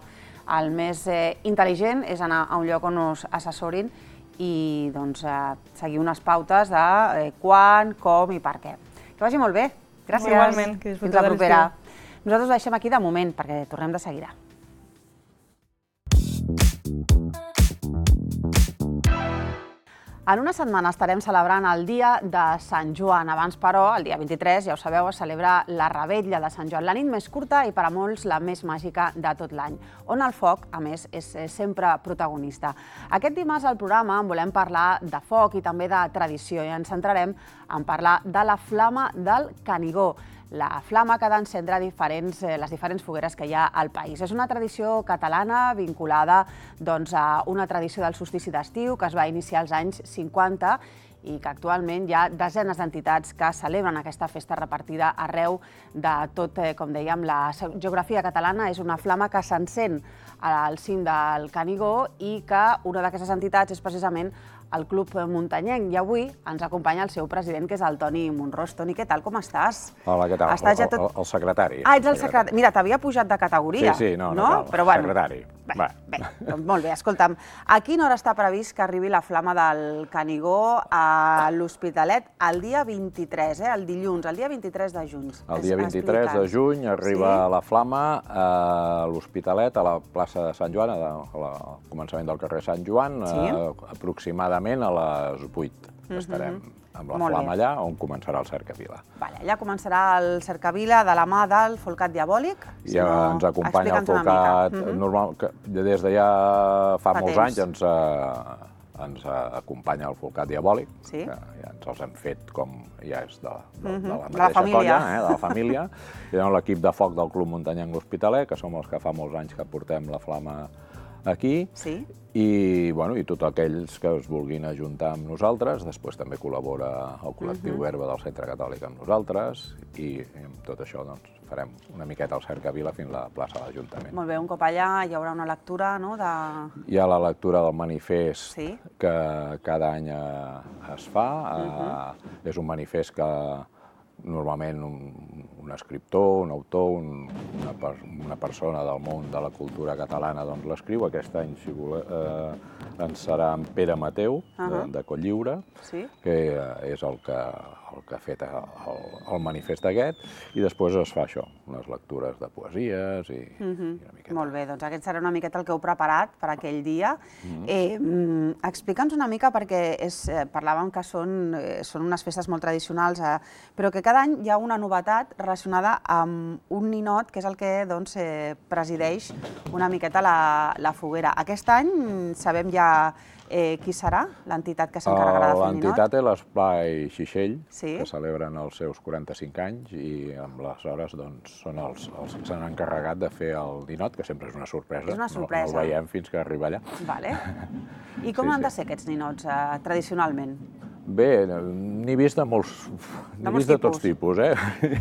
el més eh, intel·ligent és anar a un lloc on us assessorin i doncs, eh, seguir unes pautes de eh, quan, com i per què. Que vagi molt bé. Gràcies. Igualment, que Fins disfruteu la de propera. Nosaltres ho deixem aquí de moment, perquè tornem de seguida. En una setmana estarem celebrant el Dia de Sant Joan. Abans, però, el dia vint-i-tres, ja ho sabeu, es celebra la Revetlla de Sant Joan, la nit més curta i per a molts la més màgica de tot l'any, on el foc, a més, és sempre protagonista. Aquest dimarts al programa en volem parlar de foc i també de tradició i ens centrarem en parlar de la flama del Canigó, la flama que ha d'encendre diferents, les diferents fogueres que hi ha al país. És una tradició catalana vinculada doncs, a una tradició del solstici d'estiu que es va iniciar als anys cinquanta i que actualment hi ha desenes d'entitats que celebren aquesta festa repartida arreu de tot, com dèiem, la geografia catalana. És una flama que s'encén al cim del Canigó i que una d'aquestes entitats és precisament el Club Muntanyenc. I avui ens acompanya el seu president, que és el Toni Monrós. Toni, què tal? Com estàs? Hola, què tal? Estàs ja tot... El, el secretari. Ah, ets el secretari. Mira, t'havia pujat de categoria. Sí, sí, no, no, no cal. Però, bueno, secretari. Bé, bé, doncs molt bé. Escolta'm, a quina hora està previst que arribi la flama del Canigó a l'Hospitalet el dia vint-i-tres, eh? El dilluns, el dia vint-i-tres de juny? El dia vint-i-tres de juny arriba sí? la flama a l'Hospitalet, a la plaça de Sant Joan, al començament del carrer Sant Joan, sí? eh, aproximadament a les vuit. Mm-hmm. Estarem amb la Molt flama bé. allà, on començarà el Cercavila. Vale, allà començarà el Cercavila de la mà del Folcat Diabòlic. Si ja no... ens acompanya el Folcat, mm-hmm. normal, que des de ja fa, fa molts temps. anys ens, uh, ens uh, acompanya el Folcat Diabòlic, sí? que ja ens els hem fet com ja és de, de, mm-hmm. de la mateixa mateixa família. colla, eh, de la família. I doncs l'equip de foc del Club Muntanyenc L'Hospitalet, que som els que fa molts anys que portem la flama aquí, sí? I, bueno, i tots aquells que es vulguin ajuntar amb nosaltres. Després també col·labora el col·lectiu uh-huh. Verba del Centre Catòlic amb nosaltres i amb tot això doncs, farem una miqueta al Cercavila fins a la plaça de l'Ajuntament. Molt bé, un cop allà hi haurà una lectura, no? De... Hi ha la lectura del manifest sí? que cada any es fa. Uh-huh. És un manifest que normalment un, un escriptor, un autor, un, una, una persona del món de la cultura catalana doncs, l'escriu. Aquest any si vole, eh, ens serà en Pere Mateu, uh-huh. de, de Cotlliure, sí? que és el que, el que ha fet el, el manifest aquest, i després es fa això, unes lectures de poesies i, uh-huh. i una miqueta. Molt bé, doncs aquest serà una miqueta el que heu preparat per aquell dia. Uh-huh. eh, Explica'ns una mica, perquè és, eh, parlàvem que són, eh, són unes festes molt tradicionals, eh, però que cada any hi ha una novetat relacionada amb un ninot, que és el que doncs, eh, presideix una miqueta la, la foguera. Aquest any sabem ja eh, qui serà l'entitat que s'encarregarà de fer el ninot? L'entitat és l'Esplai Xixell, sí? que celebren els seus quaranta-cinc anys i amb les hores doncs, són els, els que s'han encarregat de fer el ninot, que sempre és una sorpresa. És una sorpresa. No, no el veiem fins que arriba allà. Vale. I com sí, han de ser aquests ninots eh, tradicionalment? Bé, n'he vist de molts, n'he vist de tots tipus, eh?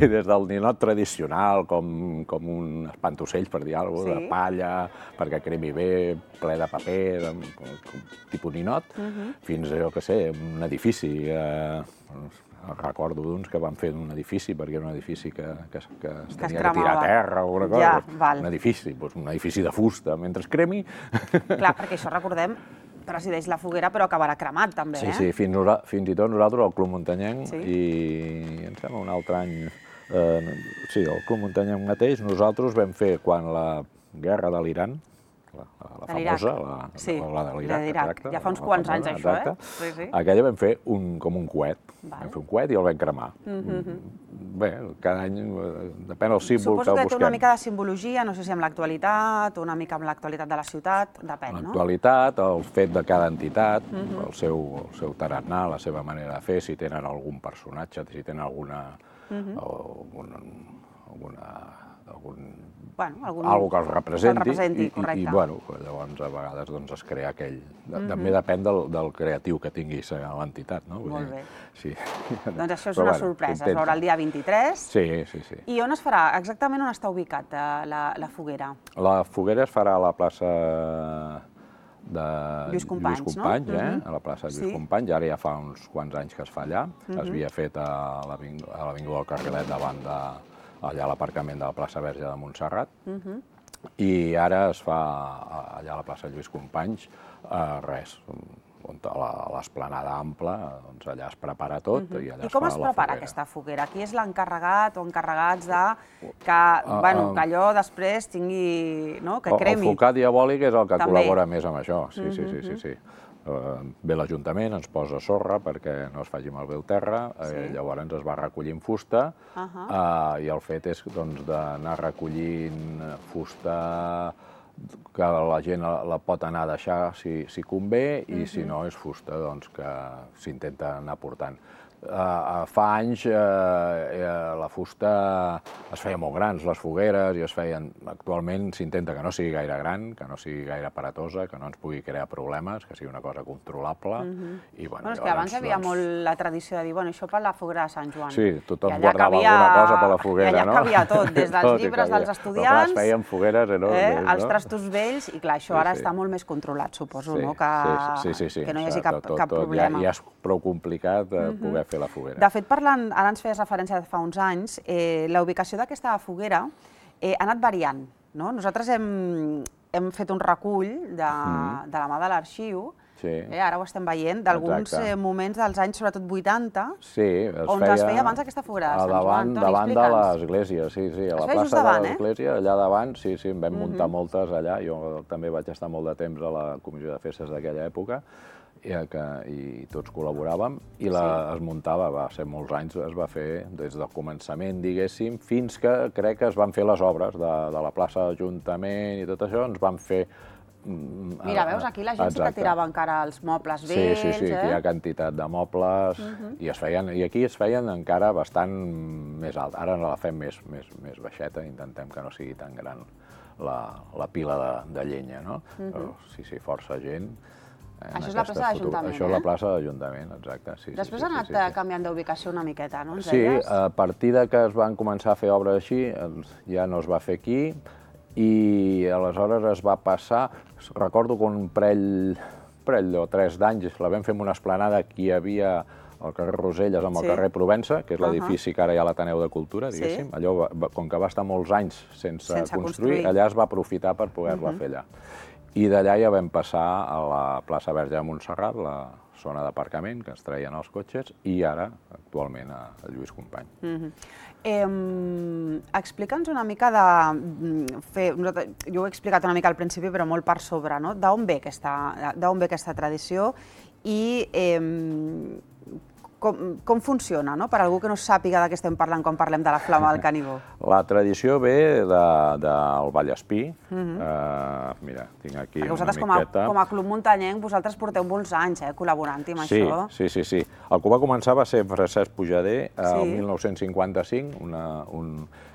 Des del ninot tradicional, com, com un espantocells, per dir alguna cosa, sí? de palla, perquè cremi bé, ple de paper, de, com, tipus ninot, uh-huh. fins a, jo què sé, un edifici. Eh, recordo d'uns que van fer un edifici, perquè era un edifici que, que, que es tenia que, que tirar a terra o alguna cosa. Ja, doncs, val. Un edifici, doncs, un edifici de fusta, mentre es cremi. Clar, perquè això recordem, presideix la foguera, però acabarà cremat, també, sí, eh? Sí, fins, fins i tot nosaltres, el Club Muntanyenc, sí? i em sembla un altre any, eh, sí, el Club Muntanyenc mateix, nosaltres vam fer, quan la guerra de l'Iran, la, la famosa, la, sí, la de l'Iraq, exacte. Ja fa uns quants anys, això, exacte. eh? Sí, sí. Aquella vam fer un, com un coet, Val. vam fer un coet i el vam cremar. Mm-hmm. Bé, cada any, depèn del símbol Suposo que, que busquem. té una mica de simbologia, no sé si amb l'actualitat, una mica amb l'actualitat de la ciutat, depèn, no? L'actualitat, el fet de cada entitat, mm-hmm. el, seu, el seu tarannà, la seva manera de fer, si tenen algun personatge, si tenen alguna... Mm-hmm. alguna, alguna algun, bueno, algun... algo que els representi, el representi i, i, i bueno, llavors a vegades doncs, es crea aquell. Mm-hmm. També depèn del, del creatiu que tinguis a l'entitat, no? Vull Molt dir, bé. Sí. Doncs això és Però, una bueno, sorpresa, contents. es veurà el dia vint-i-tres. Sí, sí, sí. I on es farà? Exactament on està ubicat eh, la, la foguera? La foguera es farà a la plaça de Lluís Companys, Lluís Companys, no? eh? Mm-hmm. A la plaça de Lluís Sí. Companys, ara ja fa uns quants anys que es fa allà. Mm-hmm. S'havia fet a l'Avinguda del Carrilet davant de allà a l'aparcament de la plaça Verge de Montserrat, uh-huh. i ara es fa allà a la plaça Lluís Companys, eh, res, a l'esplanada ampla, doncs allà es prepara tot. Uh-huh. I, allà I com es, es fa prepara la aquesta foguera? Qui és l'encarregat o encarregats de que, uh, bueno, uh, que allò després tingui, no? Que cremi? El Folcat Diabòlic és el que També. Col·labora més amb això, sí, uh-huh. sí, sí, sí, sí. ve l'Ajuntament, ens posa sorra perquè no es faci malbé el terra, llavors es va recollint fusta i el fet és d'anar recollint fusta que la gent la pot anar a deixar si convé i si no és fusta que s'intenta anar portant. Fa anys la fusta es feia molt grans, les fogueres, i es feien... Actualment s'intenta que no sigui gaire gran, que no sigui gaire aparatosa, que no ens pugui crear problemes, que sigui una cosa controlable. Bueno, és que abans hi havia molt la tradició de dir, bueno, això per la foguera de Sant Joan. Sí, tothom guardava alguna cosa per la foguera, no? I allà cabia tot, des dels llibres dels estudiants... Es feien fogueres enormes, no? Els trastos vells, i clar, això ara està molt més controlat, suposo, no? Que no hi hagi cap problema. Ja és prou complicat poder fer la foguera. De fet, parlant, ara ens feies referència de fa uns anys, la ubicació d'aquesta foguera ha anat variant. Nosaltres hem fet un recull de la mà de l'arxiu, ara ho estem veient, d'alguns moments dels anys, sobretot vuitanta, on es feia abans aquesta foguera de Sant Joan. Davant de l'església, sí, sí, a la plaça de l'església, allà davant, sí, sí, en vam muntar moltes allà, jo també vaig estar molt de temps a la comissió de festes d'aquella època, i tots col·laboràvem, i es muntava, va ser molts anys, es va fer des del començament, diguéssim, fins que crec que es van fer les obres de la plaça d'Ajuntament i tot això, ens van fer... Mira, veus, aquí la gent sí que tirava encara els mobles vells, Sí, sí, sí, hi ha quantitat de mobles, i aquí es feien encara bastant més alt. Ara la fem més baixeta, intentem que no sigui tan gran la pila de llenya, no? Sí, sí, força gent. Això és la plaça d'Ajuntament, eh? Això és la plaça d'Ajuntament, exacte. Després ha anat canviant d'ubicació una miqueta, no? Sí, a partir que es van començar a fer obres així, ja no es va fer aquí, i aleshores es va passar, recordo que un parell o tres d'anys la vam fer en una esplanada que hi havia al carrer Roselles amb el carrer Provença, que és l'edifici que ara hi ha l'Ateneu de Cultura, diguéssim. Allò, com que va estar molts anys sense construir, allà es va aprofitar per poder-la fer allà. I d'allà ja vam passar a la plaça Verge de Montserrat, la zona d'aparcament, que ens treien els cotxes, i ara, actualment, a Lluís Company. Explica'ns una mica de... Jo ho he explicat una mica al principi, però molt per sobre, no? D'on ve aquesta tradició i com funciona, no? Per algú que no sàpiga de què estem parlant quan parlem de la Flama del Canigó. La tradició ve del Vallespí. Mira, tinc aquí una miqueta. Vosaltres, com a club muntanyenc, vosaltres porteu molts anys col·laborant-hi amb això. Sí, sí, sí. El que va començar va ser Francesc Pujader, el mil nou-cents cinquanta-cinc,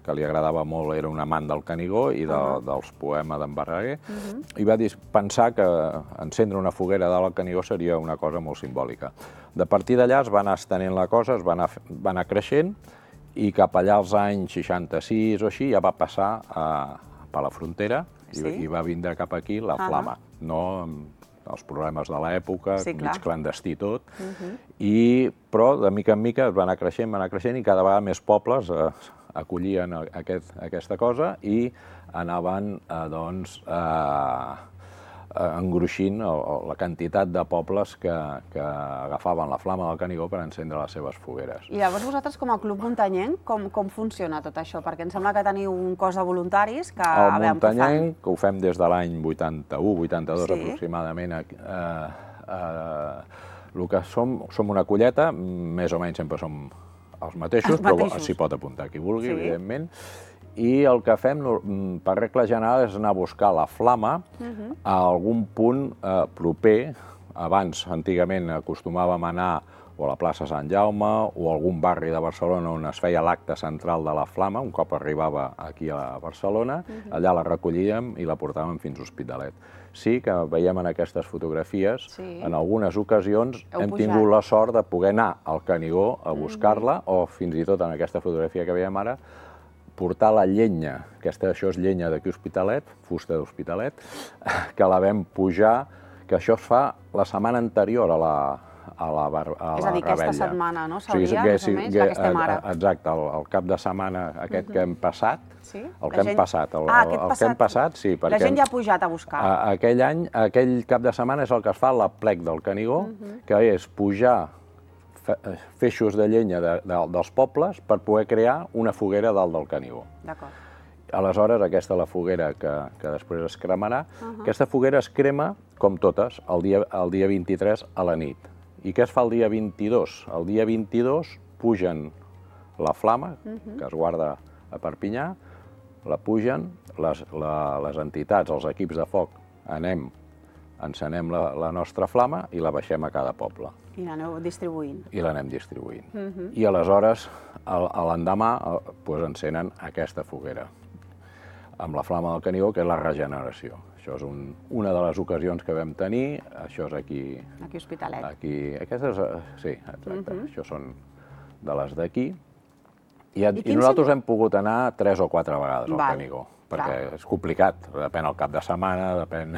que li agradava molt, era un amant del Canigó i dels poemes d'en Verdaguer, i va pensar que encendre una foguera dalt al Canigó seria una cosa molt simbòlica. De partir d'allà es va anar estenent la cosa, es va anar creixent, i cap allà als anys seixanta-sis o així ja va passar per la frontera i va vindre cap aquí la Flama. No els problemes de l'època, mig clandestí tot, però de mica en mica es va anar creixent, va anar creixent, i cada vegada més pobles acollien aquesta cosa i anaven, doncs, engruixint la quantitat de pobles que agafaven la Flama del Canigó per encendre les seves fogueres. I llavors vosaltres, com a club muntanyenc, com funciona tot això? Perquè em sembla que teniu un cos de voluntaris que... El muntanyenc, que ho fem des de l'any vuitanta-u vuitanta-dos aproximadament, el que som, som una colleta, més o menys sempre som els mateixos, però s'hi pot apuntar qui vulgui, evidentment. I el que fem, per regla general, és anar a buscar la Flama a algun punt proper. Abans, antigament, acostumàvem a anar o a la plaça Sant Jaume o a algun barri de Barcelona on es feia l'acte central de la Flama, un cop arribava aquí a Barcelona, allà la recollíem i la portàvem fins a Hospitalet. Sí que veiem en aquestes fotografies, en algunes ocasions hem tingut la sort de poder anar al Canigó a buscar-la, o fins i tot en aquesta fotografia que veiem ara, portar la llenya, aquesta això és llenya d'aquí Hospitalet, fusta d'Hospitalet, que la vam pujar, que això es fa la setmana anterior a la a la rebella. És a dir, aquesta setmana, no? S'hauria, més o menys, la que estem ara. Exacte, el cap de setmana aquest que hem passat, el que hem passat, el que hem passat, sí. La gent ja ha pujat a buscar. Aquell any, aquell cap de setmana és el que es fa a l'Aplec del Canigó, que és pujar feixos de llenya dels pobles per poder crear una foguera dalt del Canigó. D'acord. aleshores, aquesta és la foguera que, que després es cremarà. Uh-huh. Aquesta foguera es crema, com totes, el dia, el dia vint-i-tres a la nit. I què es fa el dia vint-i-dos? El dia vint-i-dos pugen la flama, uh-huh. que es guarda a Perpinyà, la pugen, les, la, les entitats, els equips de foc, anem, encenem la, la nostra flama i la baixem a cada poble. I l'aneu distribuint. I l'anem distribuint. Uh-huh. I aleshores, l'endemà, pues, encenen aquesta foguera amb la flama del Canigó, que és la regeneració. Això és un, una de les ocasions que vam tenir, això és aquí... Aquí a Hospitalet. Aquí, aquestes, sí, exacte, uh-huh. Això són de les d'aquí. I, I, i nosaltres hem pogut anar tres o quatre vegades al Val. Canigó, perquè Clar. És complicat, depèn el cap de setmana, depèn...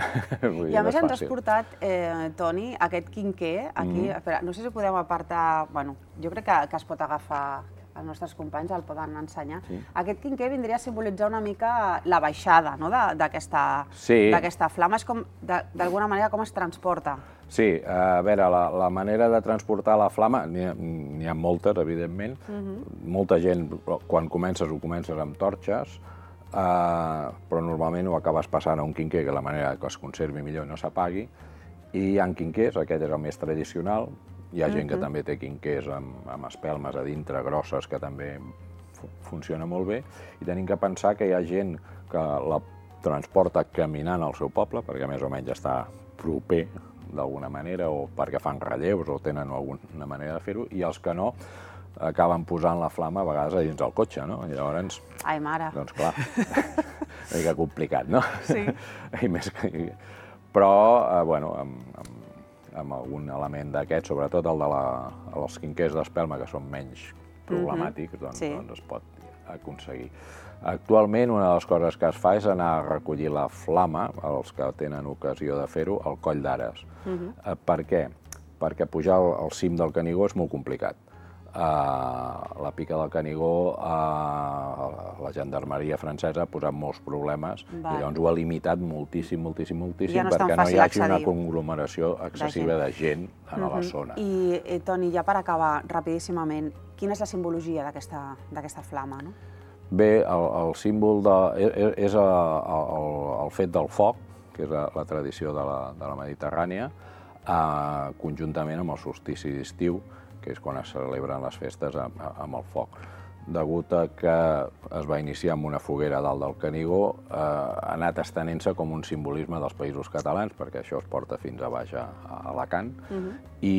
I a més ens has portat, eh, Toni, aquest quinquer, aquí, mm. espera, no sé si podem apartar, bueno, jo crec que, que es pot agafar, els nostres companys el poden ensenyar. Sí. Aquest quinquer vindria a simbolitzar una mica la baixada, no?, d'aquesta sí. flama, és com, d'alguna manera, com es transporta. Sí, a veure, la, la manera de transportar la flama, n'hi ha, ha moltes, evidentment. Uh-huh. Molta gent, quan comences, ho comences amb torxes, uh, però normalment ho acabes passant a un quinquer, que és la manera que es conservi millor i no s'apagui. I hi ha quinquers, aquest és el més tradicional. Hi ha gent uh-huh. que també té quinquers amb, amb espelmes a dintre, grosses, que també funciona molt bé. I tenim que pensar que hi ha gent que la transporta caminant al seu poble, perquè més o menys està proper, d'alguna manera, o perquè fan relleus o tenen alguna manera de fer-ho, i els que no acaben posant la flama a vegades a dins del cotxe, no? I llavors... Ai, mare! Doncs clar, una mica complicat, no? Sí. I més que... Però, eh, bueno, amb, amb, amb algun element d'aquest, sobretot el de la, els quinquers d'espelma, que són menys problemàtics, doncs, sí. doncs es pot aconseguir. Actualment, una de les coses que es fa és anar a recollir la flama, els que tenen ocasió de fer-ho, al Coll d'Ares. Uh-huh. eh, per què? Perquè pujar al, al cim del Canigó és molt complicat. Uh, la pica del Canigó, uh, la gendarmeria francesa ha posat molts problemes Val. I llavors ho ha limitat moltíssim, moltíssim, moltíssim, ja no perquè no hi hagi una conglomeració excessiva de gent, de gent en uh-huh. la zona. I, i Toni, ja per acabar, rapidíssimament, quina és la simbologia d'aquesta flama, no? Bé, el, el símbol de, és el, el, el fet del foc, que és la, la tradició de la, de la Mediterrània, eh, conjuntament amb el solstici d'estiu, que és quan es celebren les festes amb, amb el foc. Degut a que es va iniciar amb una foguera dalt del Canigó, eh, ha anat estenent-se com un simbolisme dels països catalans, perquè això es porta fins a baix a, a Alacant, uh-huh. i,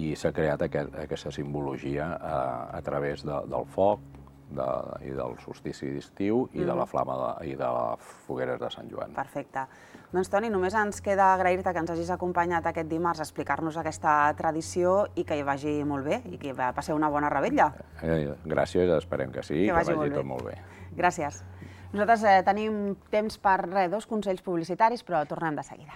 i s'ha creat aquest, aquesta simbologia eh, a través de, del foc, De, i del solstici d'estiu i mm. de la flama de, i de les fogueres de Sant Joan. Perfecte. Doncs, Toni, només ens queda agrair-te que ens hagis acompanyat aquest dimarts a explicar-nos aquesta tradició i que hi vagi molt bé i que passeu una bona revetlla. Eh, gràcies, esperem que sí, que vagi, que vagi tot molt bé. Gràcies. Nosaltres eh, tenim temps per res, dos consells publicitaris, però tornem de seguida.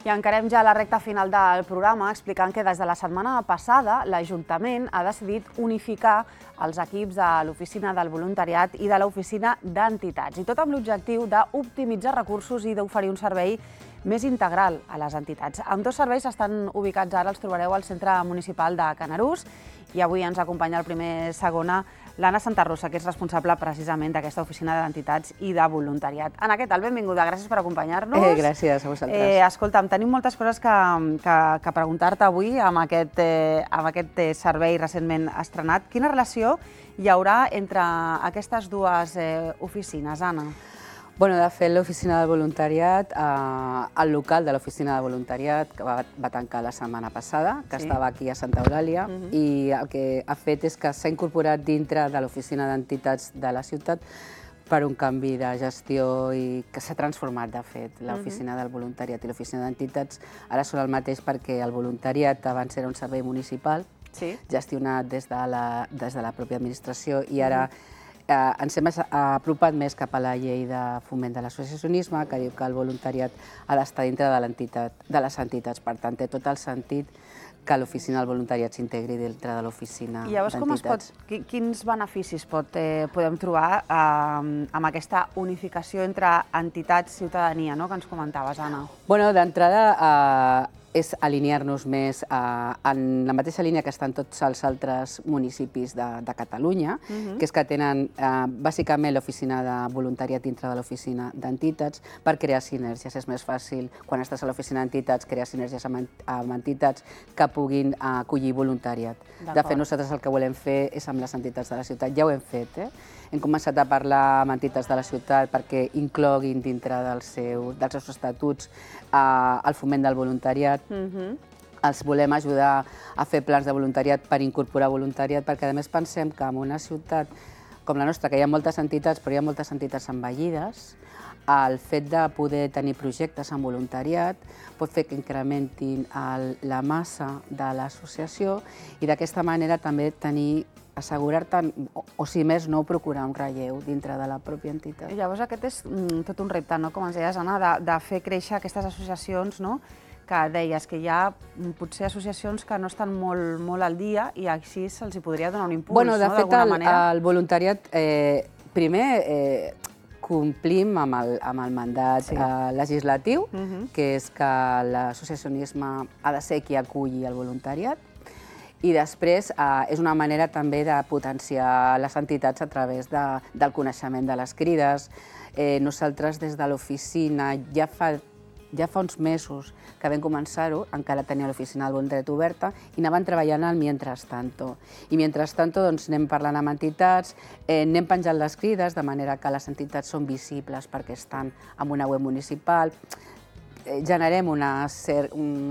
I encarem ja la recta final del programa explicant que des de la setmana passada l'Ajuntament ha decidit unificar els equips de l'Oficina del Voluntariat i de l'Oficina d'Entitats, i tot amb l'objectiu d'optimitzar recursos i d'oferir un servei més integral a les entitats. Ambdós serveis estan ubicats ara, els trobareu al Centre Municipal de Canarús, i avui ens acompanya el primer segona l'Anna Santarrosa, que és responsable precisament d'aquesta oficina d'entitats i de voluntariat. Anna, què tal? Benvinguda, gràcies per acompanyar-nos. Eh, gràcies a vosaltres. Eh, escolta'm, tenim moltes coses que, que, que preguntar-te avui amb aquest, eh, amb aquest servei recentment estrenat. Quina relació hi haurà entre aquestes dues eh, oficines, Anna? Bueno, de fet, l'oficina de voluntariat, eh, el local de l'oficina de voluntariat que va, va tancar la setmana passada, que sí. estava aquí a Santa Eulàlia, uh-huh. i el que ha fet és que s'ha incorporat dintre de l'oficina d'entitats de la ciutat per un canvi de gestió i que s'ha transformat, de fet. L'oficina uh-huh. del voluntariat i l'oficina d'entitats ara són el mateix perquè el voluntariat abans era un servei municipal, sí. gestionat des de, la, des de la pròpia administració, i ara uh-huh. Eh, ens hem apropat més cap a la llei de foment de l'associacionisme, que diu que el voluntariat ha d'estar dintre de l'entitat, de les entitats. Per tant, té tot el sentit que l'oficina del voluntariat s'integri dintre de l'oficina d'entitats. I llavors, com es pot, quins beneficis pot, eh, podem trobar eh, amb aquesta unificació entre entitats i ciutadania, no?, que ens comentaves, Anna? Bueno, d'entrada, eh, és alinear-nos més en la mateixa línia que estan tots els altres municipis de Catalunya, que és que tenen bàsicament l'oficina de voluntariat dintre de l'oficina d'entitats per crear sinergies. És més fàcil, quan estàs a l'oficina d'entitats, crear sinergies amb entitats que puguin acollir voluntariat. De fet, nosaltres el que volem fer és amb les entitats de la ciutat. Ja ho hem fet, eh? Hem començat a parlar amb entitats de la ciutat perquè incloguin dintre dels seus estatuts el foment del voluntariat. Els volem ajudar a fer plans de voluntariat per incorporar voluntariat, perquè a més pensem que en una ciutat com la nostra, que hi ha moltes entitats, però hi ha moltes entitats envellides, el fet de poder tenir projectes en voluntariat pot fer que incrementin la massa de l'associació i d'aquesta manera també tenir assegurar-te, o si més no, procurar un relleu dintre de la pròpia entitat. Llavors aquest és tot un repte, com ens deies, Anna, de fer créixer aquestes associacions, que deies que hi ha potser associacions que no estan molt al dia i així se'ls podria donar un impuls, d'alguna manera. El voluntariat, primer, complim amb el mandat legislatiu, que és que l'associacionisme ha de ser qui aculli el voluntariat, i després és una manera també de potenciar les entitats a través del coneixement de les crides. Nosaltres des de l'oficina ja fa ja fa uns mesos que vam començar-ho, encara tenia l'oficina del voluntariat oberta i anàvem treballant al mientras tanto. I mientras tanto anem parlant amb entitats, anem penjant les crides de manera que les entitats són visibles perquè estan en una web municipal, generem un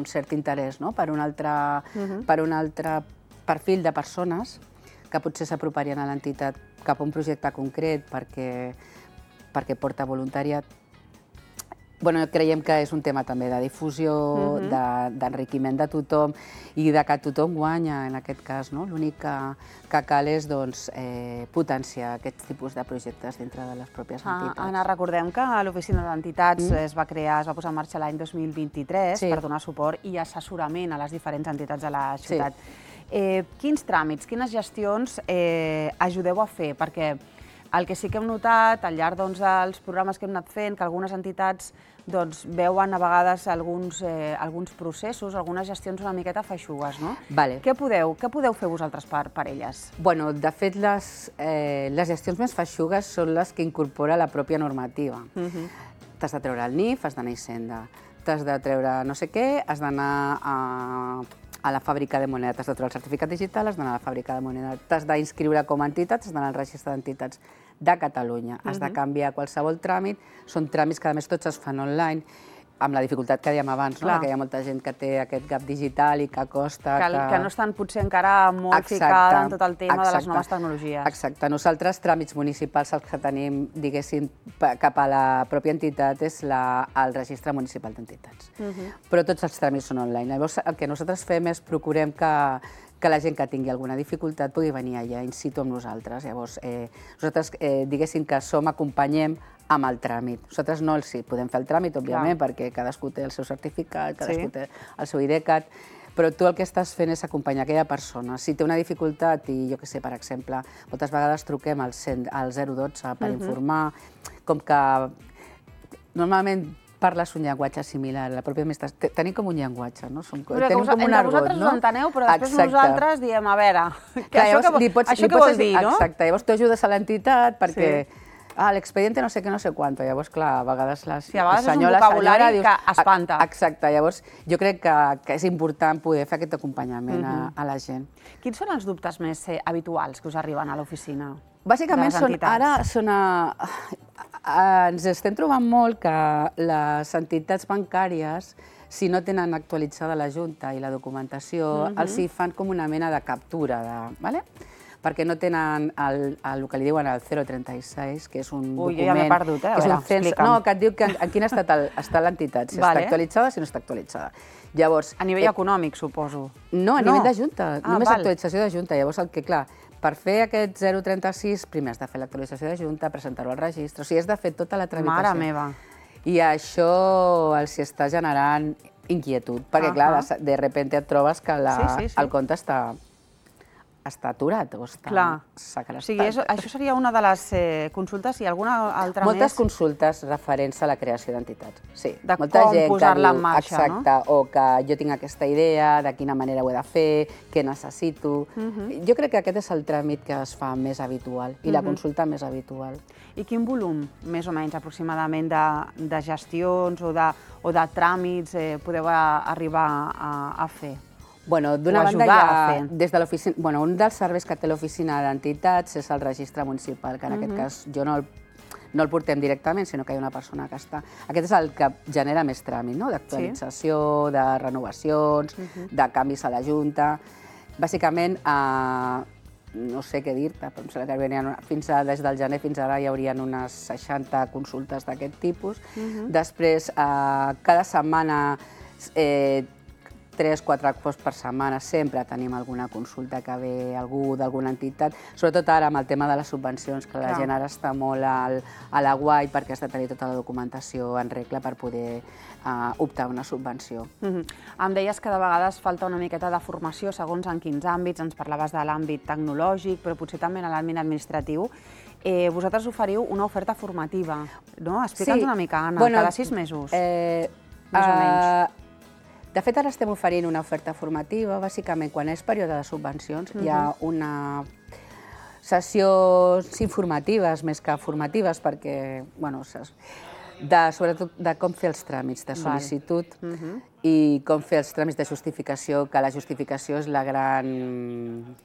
cert interès per un altre perfil de persones que potser s'aproparien a l'entitat cap a un projecte concret perquè porta voluntariat. Creiem que és un tema també de difusió, d'enriquiment de tothom i que tothom guanya en aquest cas. L'únic que cal és potenciar aquests tipus de projectes dintre de les pròpies entitats. Anna, recordem que l'Oficina d'Entitats es va crear, es va posar en marxa l'any dos mil vint-i-tres per donar suport i assessorament a les diferents entitats de la ciutat. Quins tràmits, quines gestions ajudeu a fer? Perquè el que sí que hem notat al llarg dels programes que hem anat fent, que algunes entitats veuen a vegades alguns processos, algunes gestions una miqueta feixugues, no? Què podeu fer vosaltres per elles? De fet, les gestions més feixugues són les que incorpora la pròpia normativa. T'has de treure el N I F, has d'anar a Hisenda. T'has de treure no sé què, has d'anar a la fàbrica de moneda. T'has de treure el certificat digital, has d'anar a la fàbrica de moneda. T'has d'inscriure com a entitat, has d'anar al registre d'entitats de Catalunya. Has de canviar qualsevol tràmit. Són tràmits que, a més, tots es fan online, amb la dificultat que dèiem abans, que hi ha molta gent que té aquest gap digital i que costa... Que no estan potser encara molt ficada en tot el tema de les noves tecnologies. Exacte. Nosaltres, tràmits municipals, els que tenim, diguéssim, cap a la pròpia entitat és el registre municipal d'entitats. Però tots els tràmits són online. Llavors, el que nosaltres fem és procurem que que la gent que tingui alguna dificultat pugui venir allà in situ amb nosaltres. Llavors, nosaltres, diguéssim que som, acompanyem amb el tràmit. Nosaltres no els podem fer el tràmit, òbviament, perquè cadascú té el seu certificat, cadascú té el seu I D E C A T, però tu el que estàs fent és acompanyar aquella persona. Si té una dificultat i, jo què sé, per exemple, moltes vegades truquem al zero dotze per informar, com que normalment parles un llenguatge similar, la pròpia administració... Tenim com un llenguatge, no? Tenim com un argot, no? Vosaltres us enteneu, però després nosaltres diem, a veure, això què vol dir, no? Exacte, llavors tu ajudes a l'entitat perquè l'expedient no sé què, no sé quant, llavors, clar, a vegades la senyora... A vegades és un vocabulari que espanta. Exacte, llavors jo crec que és important poder fer aquest acompanyament a la gent. Quins són els dubtes més habituals que us arriben a l'oficina? Bàsicament, ara ens estem trobant molt que les entitats bancàries, si no tenen actualitzada la Junta i la documentació, els hi fan com una mena de captura, perquè no tenen el que li diuen el zero trenta sis, que és un document... Ui, jo ja m'he perdut, eh? A veure, explica'm. No, que et diu en quin estat està l'entitat, si està actualitzada o si no està actualitzada. Llavors... A nivell econòmic, suposo. No, a nivell de Junta, només actualització de Junta. Llavors, el que, clar, per fer aquest zero trenta sis, primer has de fer l'actualització de Junta, presentar-ho al registre, o sigui, has de fer tota la tramitació. Mare meva. I això els està generant inquietud, perquè, clar, de sobte et trobes que el compte està està aturat o està segrestat. O sigui, això seria una de les consultes i alguna altra més? Moltes consultes referents a la creació d'entitats, sí. De com posar-la en marxa, no? Exacte, o que jo tinc aquesta idea, de quina manera ho he de fer, què necessito. Jo crec que aquest és el tràmit que es fa més habitual i la consulta més habitual. I quin volum, més o menys, aproximadament, de gestions o de tràmits podeu arribar a fer? Bueno, d'una banda, ja, des de l'oficina... Bueno, un dels serveis que té l'oficina d'entitats és el registre municipal, que en aquest cas jo no el, no el portem directament, sinó que hi ha una persona que està... Aquest és el que genera més tràmit, no? D'actualització, de renovacions, de canvis a la Junta. Bàsicament, eh, no sé què dir-te, però em sembla que fins a, des del gener fins ara hi haurien unes seixanta consultes d'aquest tipus. Després, eh, cada setmana, eh, tres, quatre cops per setmana, sempre tenim alguna consulta que ve algú d'alguna entitat, sobretot ara amb el tema de les subvencions, que la gent ara està molt al, a la guai perquè has de tenir tota la documentació en regla per poder uh, optar a una subvenció. Mm-hmm. Em deies que de vegades falta una miqueta de formació segons en quins àmbits, ens parlaves de l'àmbit tecnològic, però potser també en l'àmbit administratiu. Eh, vosaltres oferiu una oferta formativa, no? Explica'ns sí. una mica, Anna, bueno, cada sis mesos, eh, més o menys. Uh, De fet, ara estem oferint una oferta formativa, bàsicament quan és període de subvencions, uh-huh. hi ha una sessions informatives més que formatives perquè, bueno, de, sobretot de com fer els tràmits de sol·licitud vale. uh-huh. i com fer els tràmits de justificació, que la justificació és la gran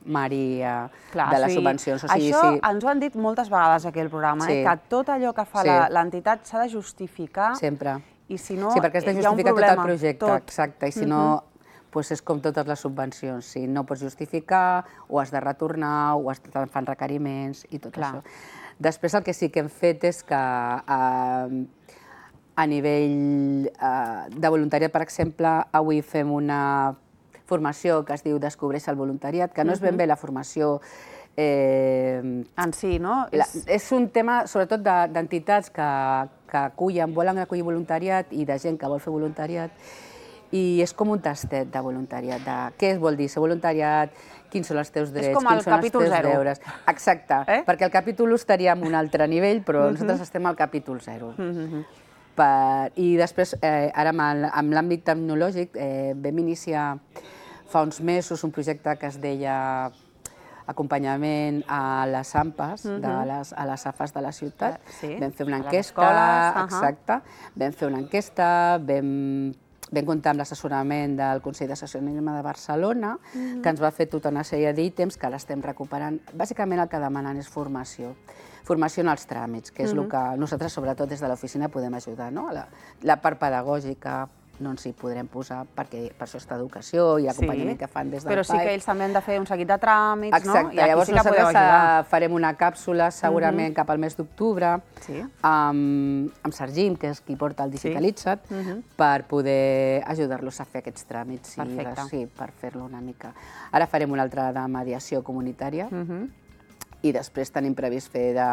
Maria Clar, de les sí. subvencions. O sigui, això sí. ens ho han dit moltes vegades aquí al programa, sí. eh, que tot allò que fa sí. l'entitat s'ha de justificar. Sempre. I si no, sí, perquè has de justificar tot el projecte, tot. exacte, i si no, uh-huh. pues és com totes les subvencions, si no pots justificar, o has de retornar, o es fan requeriments, i tot Clar. això. Després el que sí que hem fet és que eh, a nivell eh, de voluntariat, per exemple, avui fem una formació que es diu Descobreix el voluntariat, que no és ben bé la formació Eh, en si, no? La, és un tema, sobretot, d'entitats que, que acullen, volen acollir voluntariat i de gent que vol fer voluntariat, i és com un tastet de voluntariat, de què vol dir ser voluntariat, quins són els teus drets, quins són els teus deures. Exacte, eh? perquè el capítol u estaria en un altre nivell, però uh-huh. nosaltres estem al capítol zero. Uh-huh. Per, I després, eh, ara amb l'àmbit tecnològic, eh, vam iniciar fa uns mesos un projecte que es deia acompanyament a les A M P As, uh-huh. de les, a les A F As de la ciutat. Sí. Vam fer una enquesta, uh-huh. exacte, vam fer una enquesta, vam, vam comptar amb l'assessorament del Consell d'Assessorament de Barcelona, uh-huh. que ens va fer tota una sèrie d'ítems que l'estem recuperant. Bàsicament el que demanen és formació. Formació en els tràmits, que és uh-huh. el que nosaltres, sobretot des de l'oficina, podem ajudar. No? La, la part pedagògica, no ens hi podrem posar, perquè per això està educació i acompanyament sí, que fan des del P A E. Però sí que ells també han de fer un seguit de tràmits, Exacte, no? I llavors sí que nosaltres farem una càpsula segurament uh-huh. cap al mes d'octubre sí. amb, amb Sergim, que és qui porta el Digitalitza't, sí. uh-huh. per poder ajudar-los a fer aquests tràmits i sí, per fer-lo una mica. Ara farem una altra de mediació comunitària uh-huh. i després tenim previst fer de...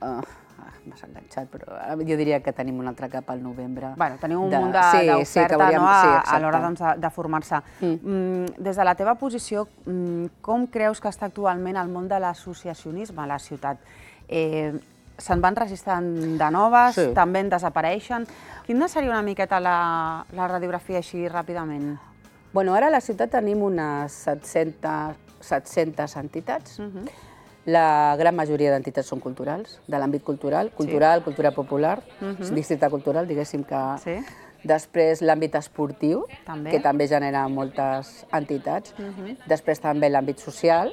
Uh, m'has enganxat, però jo diria que tenim un altre cap al novembre. Bueno, teniu un munt d'oferta sí, sí, no, a, sí, a l'hora doncs, de, de formar-se. Mm. Mm, des de la teva posició, com creus que està actualment el món de l'associacionisme a la ciutat? Eh, Se'n van registrant de noves, sí. també en desapareixen. Quina seria una miqueta la, la radiografia així ràpidament? Bueno, ara a la ciutat tenim unes set-centes entitats. Uh-huh. La gran majoria d'entitats són culturals, de l'àmbit cultural, cultural, sí. cultura popular, uh-huh. districte cultural, diguéssim que... Sí. Després l'àmbit esportiu, també. que també genera moltes entitats. Uh-huh. Després també l'àmbit social.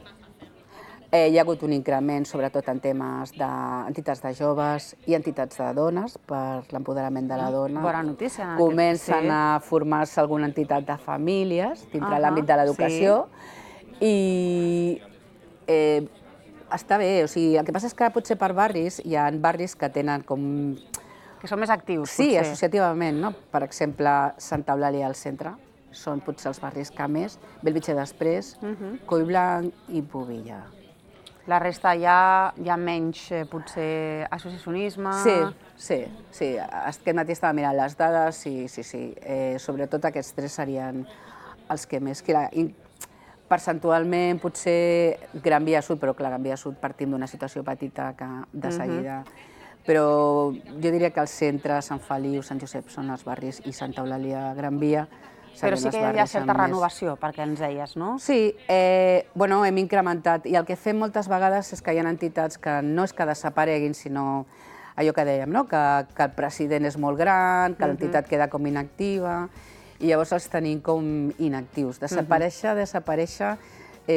Eh, hi ha hagut un increment, sobretot en temes d'entitats de joves i entitats de dones, per l'empoderament de la dona. Bona notícia. Comencen sí. a formar-se alguna entitat de famílies dintre uh-huh. l'àmbit de l'educació. Sí. I... Eh, Està bé, o sigui, el que passa és que potser per barris hi ha barris que tenen com... Que són més actius, sí, potser. Sí, associativament, no? Per exemple, Santa Eulàlia al centre, són potser els barris que més, Bellvitge després, uh-huh. Collblanc i Bobilla. La resta ja hi ha menys, eh, potser, associacionisme... Sí, sí, sí. Aquest matí estava mirant les dades, sí, sí, sí. Eh, sobretot aquests tres serien els que més... percentualment potser Gran Via Sud, però clar, Gran Via Sud partim d'una situació petita que de seguida... Però jo diria que el centre, Sant Feliu, Sant Josep són els barris i Santa Eulàlia, Gran Via. Però sí que hi havia certa renovació, perquè ens deies, no? Sí, bueno, hem incrementat, i el que fem moltes vegades és que hi ha entitats que no és que desapareguin, sinó allò que dèiem, que el president és molt gran, que l'entitat queda com inactiva, i llavors els tenim com inactius. Desaparèixer, desaparèixer,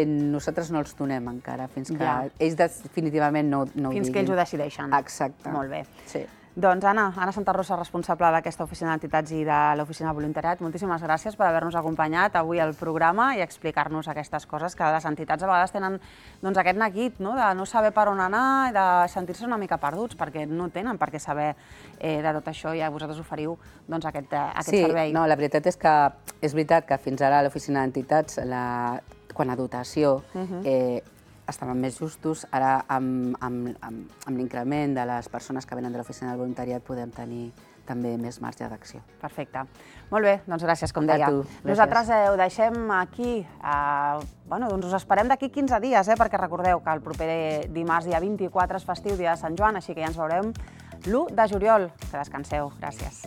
nosaltres no els donem encara, fins que ells definitivament no ho diguin. Fins que ells ho decideixen. Exacte. Molt bé. Sí. Doncs Anna, Anna Santa Rosa, responsable d'aquesta oficina d'entitats i de l'oficina de voluntariat, moltíssimes gràcies per haver-nos acompanyat avui al programa i explicar-nos aquestes coses que les entitats a vegades tenen aquest neguit, de no saber per on anar i de sentir-se una mica perduts, perquè no tenen per què saber de tot això i vosaltres oferiu aquest servei. Sí, no, la veritat és que és veritat que fins ara l'oficina d'entitats, quan a dotació, estaven més justos. Ara, amb l'increment de les persones que venen de l'oficina del voluntariat, podem tenir també més marge d'acció. Perfecte. Molt bé, doncs gràcies, com deia. A tu. Nosaltres ho deixem aquí. Doncs us esperem d'aquí quinze dies, perquè recordeu que el proper dimarts, dia vint-i-quatre, és festiu, dia de Sant Joan, així que ja ens veurem l'u de juliol. Que descanseu. Gràcies.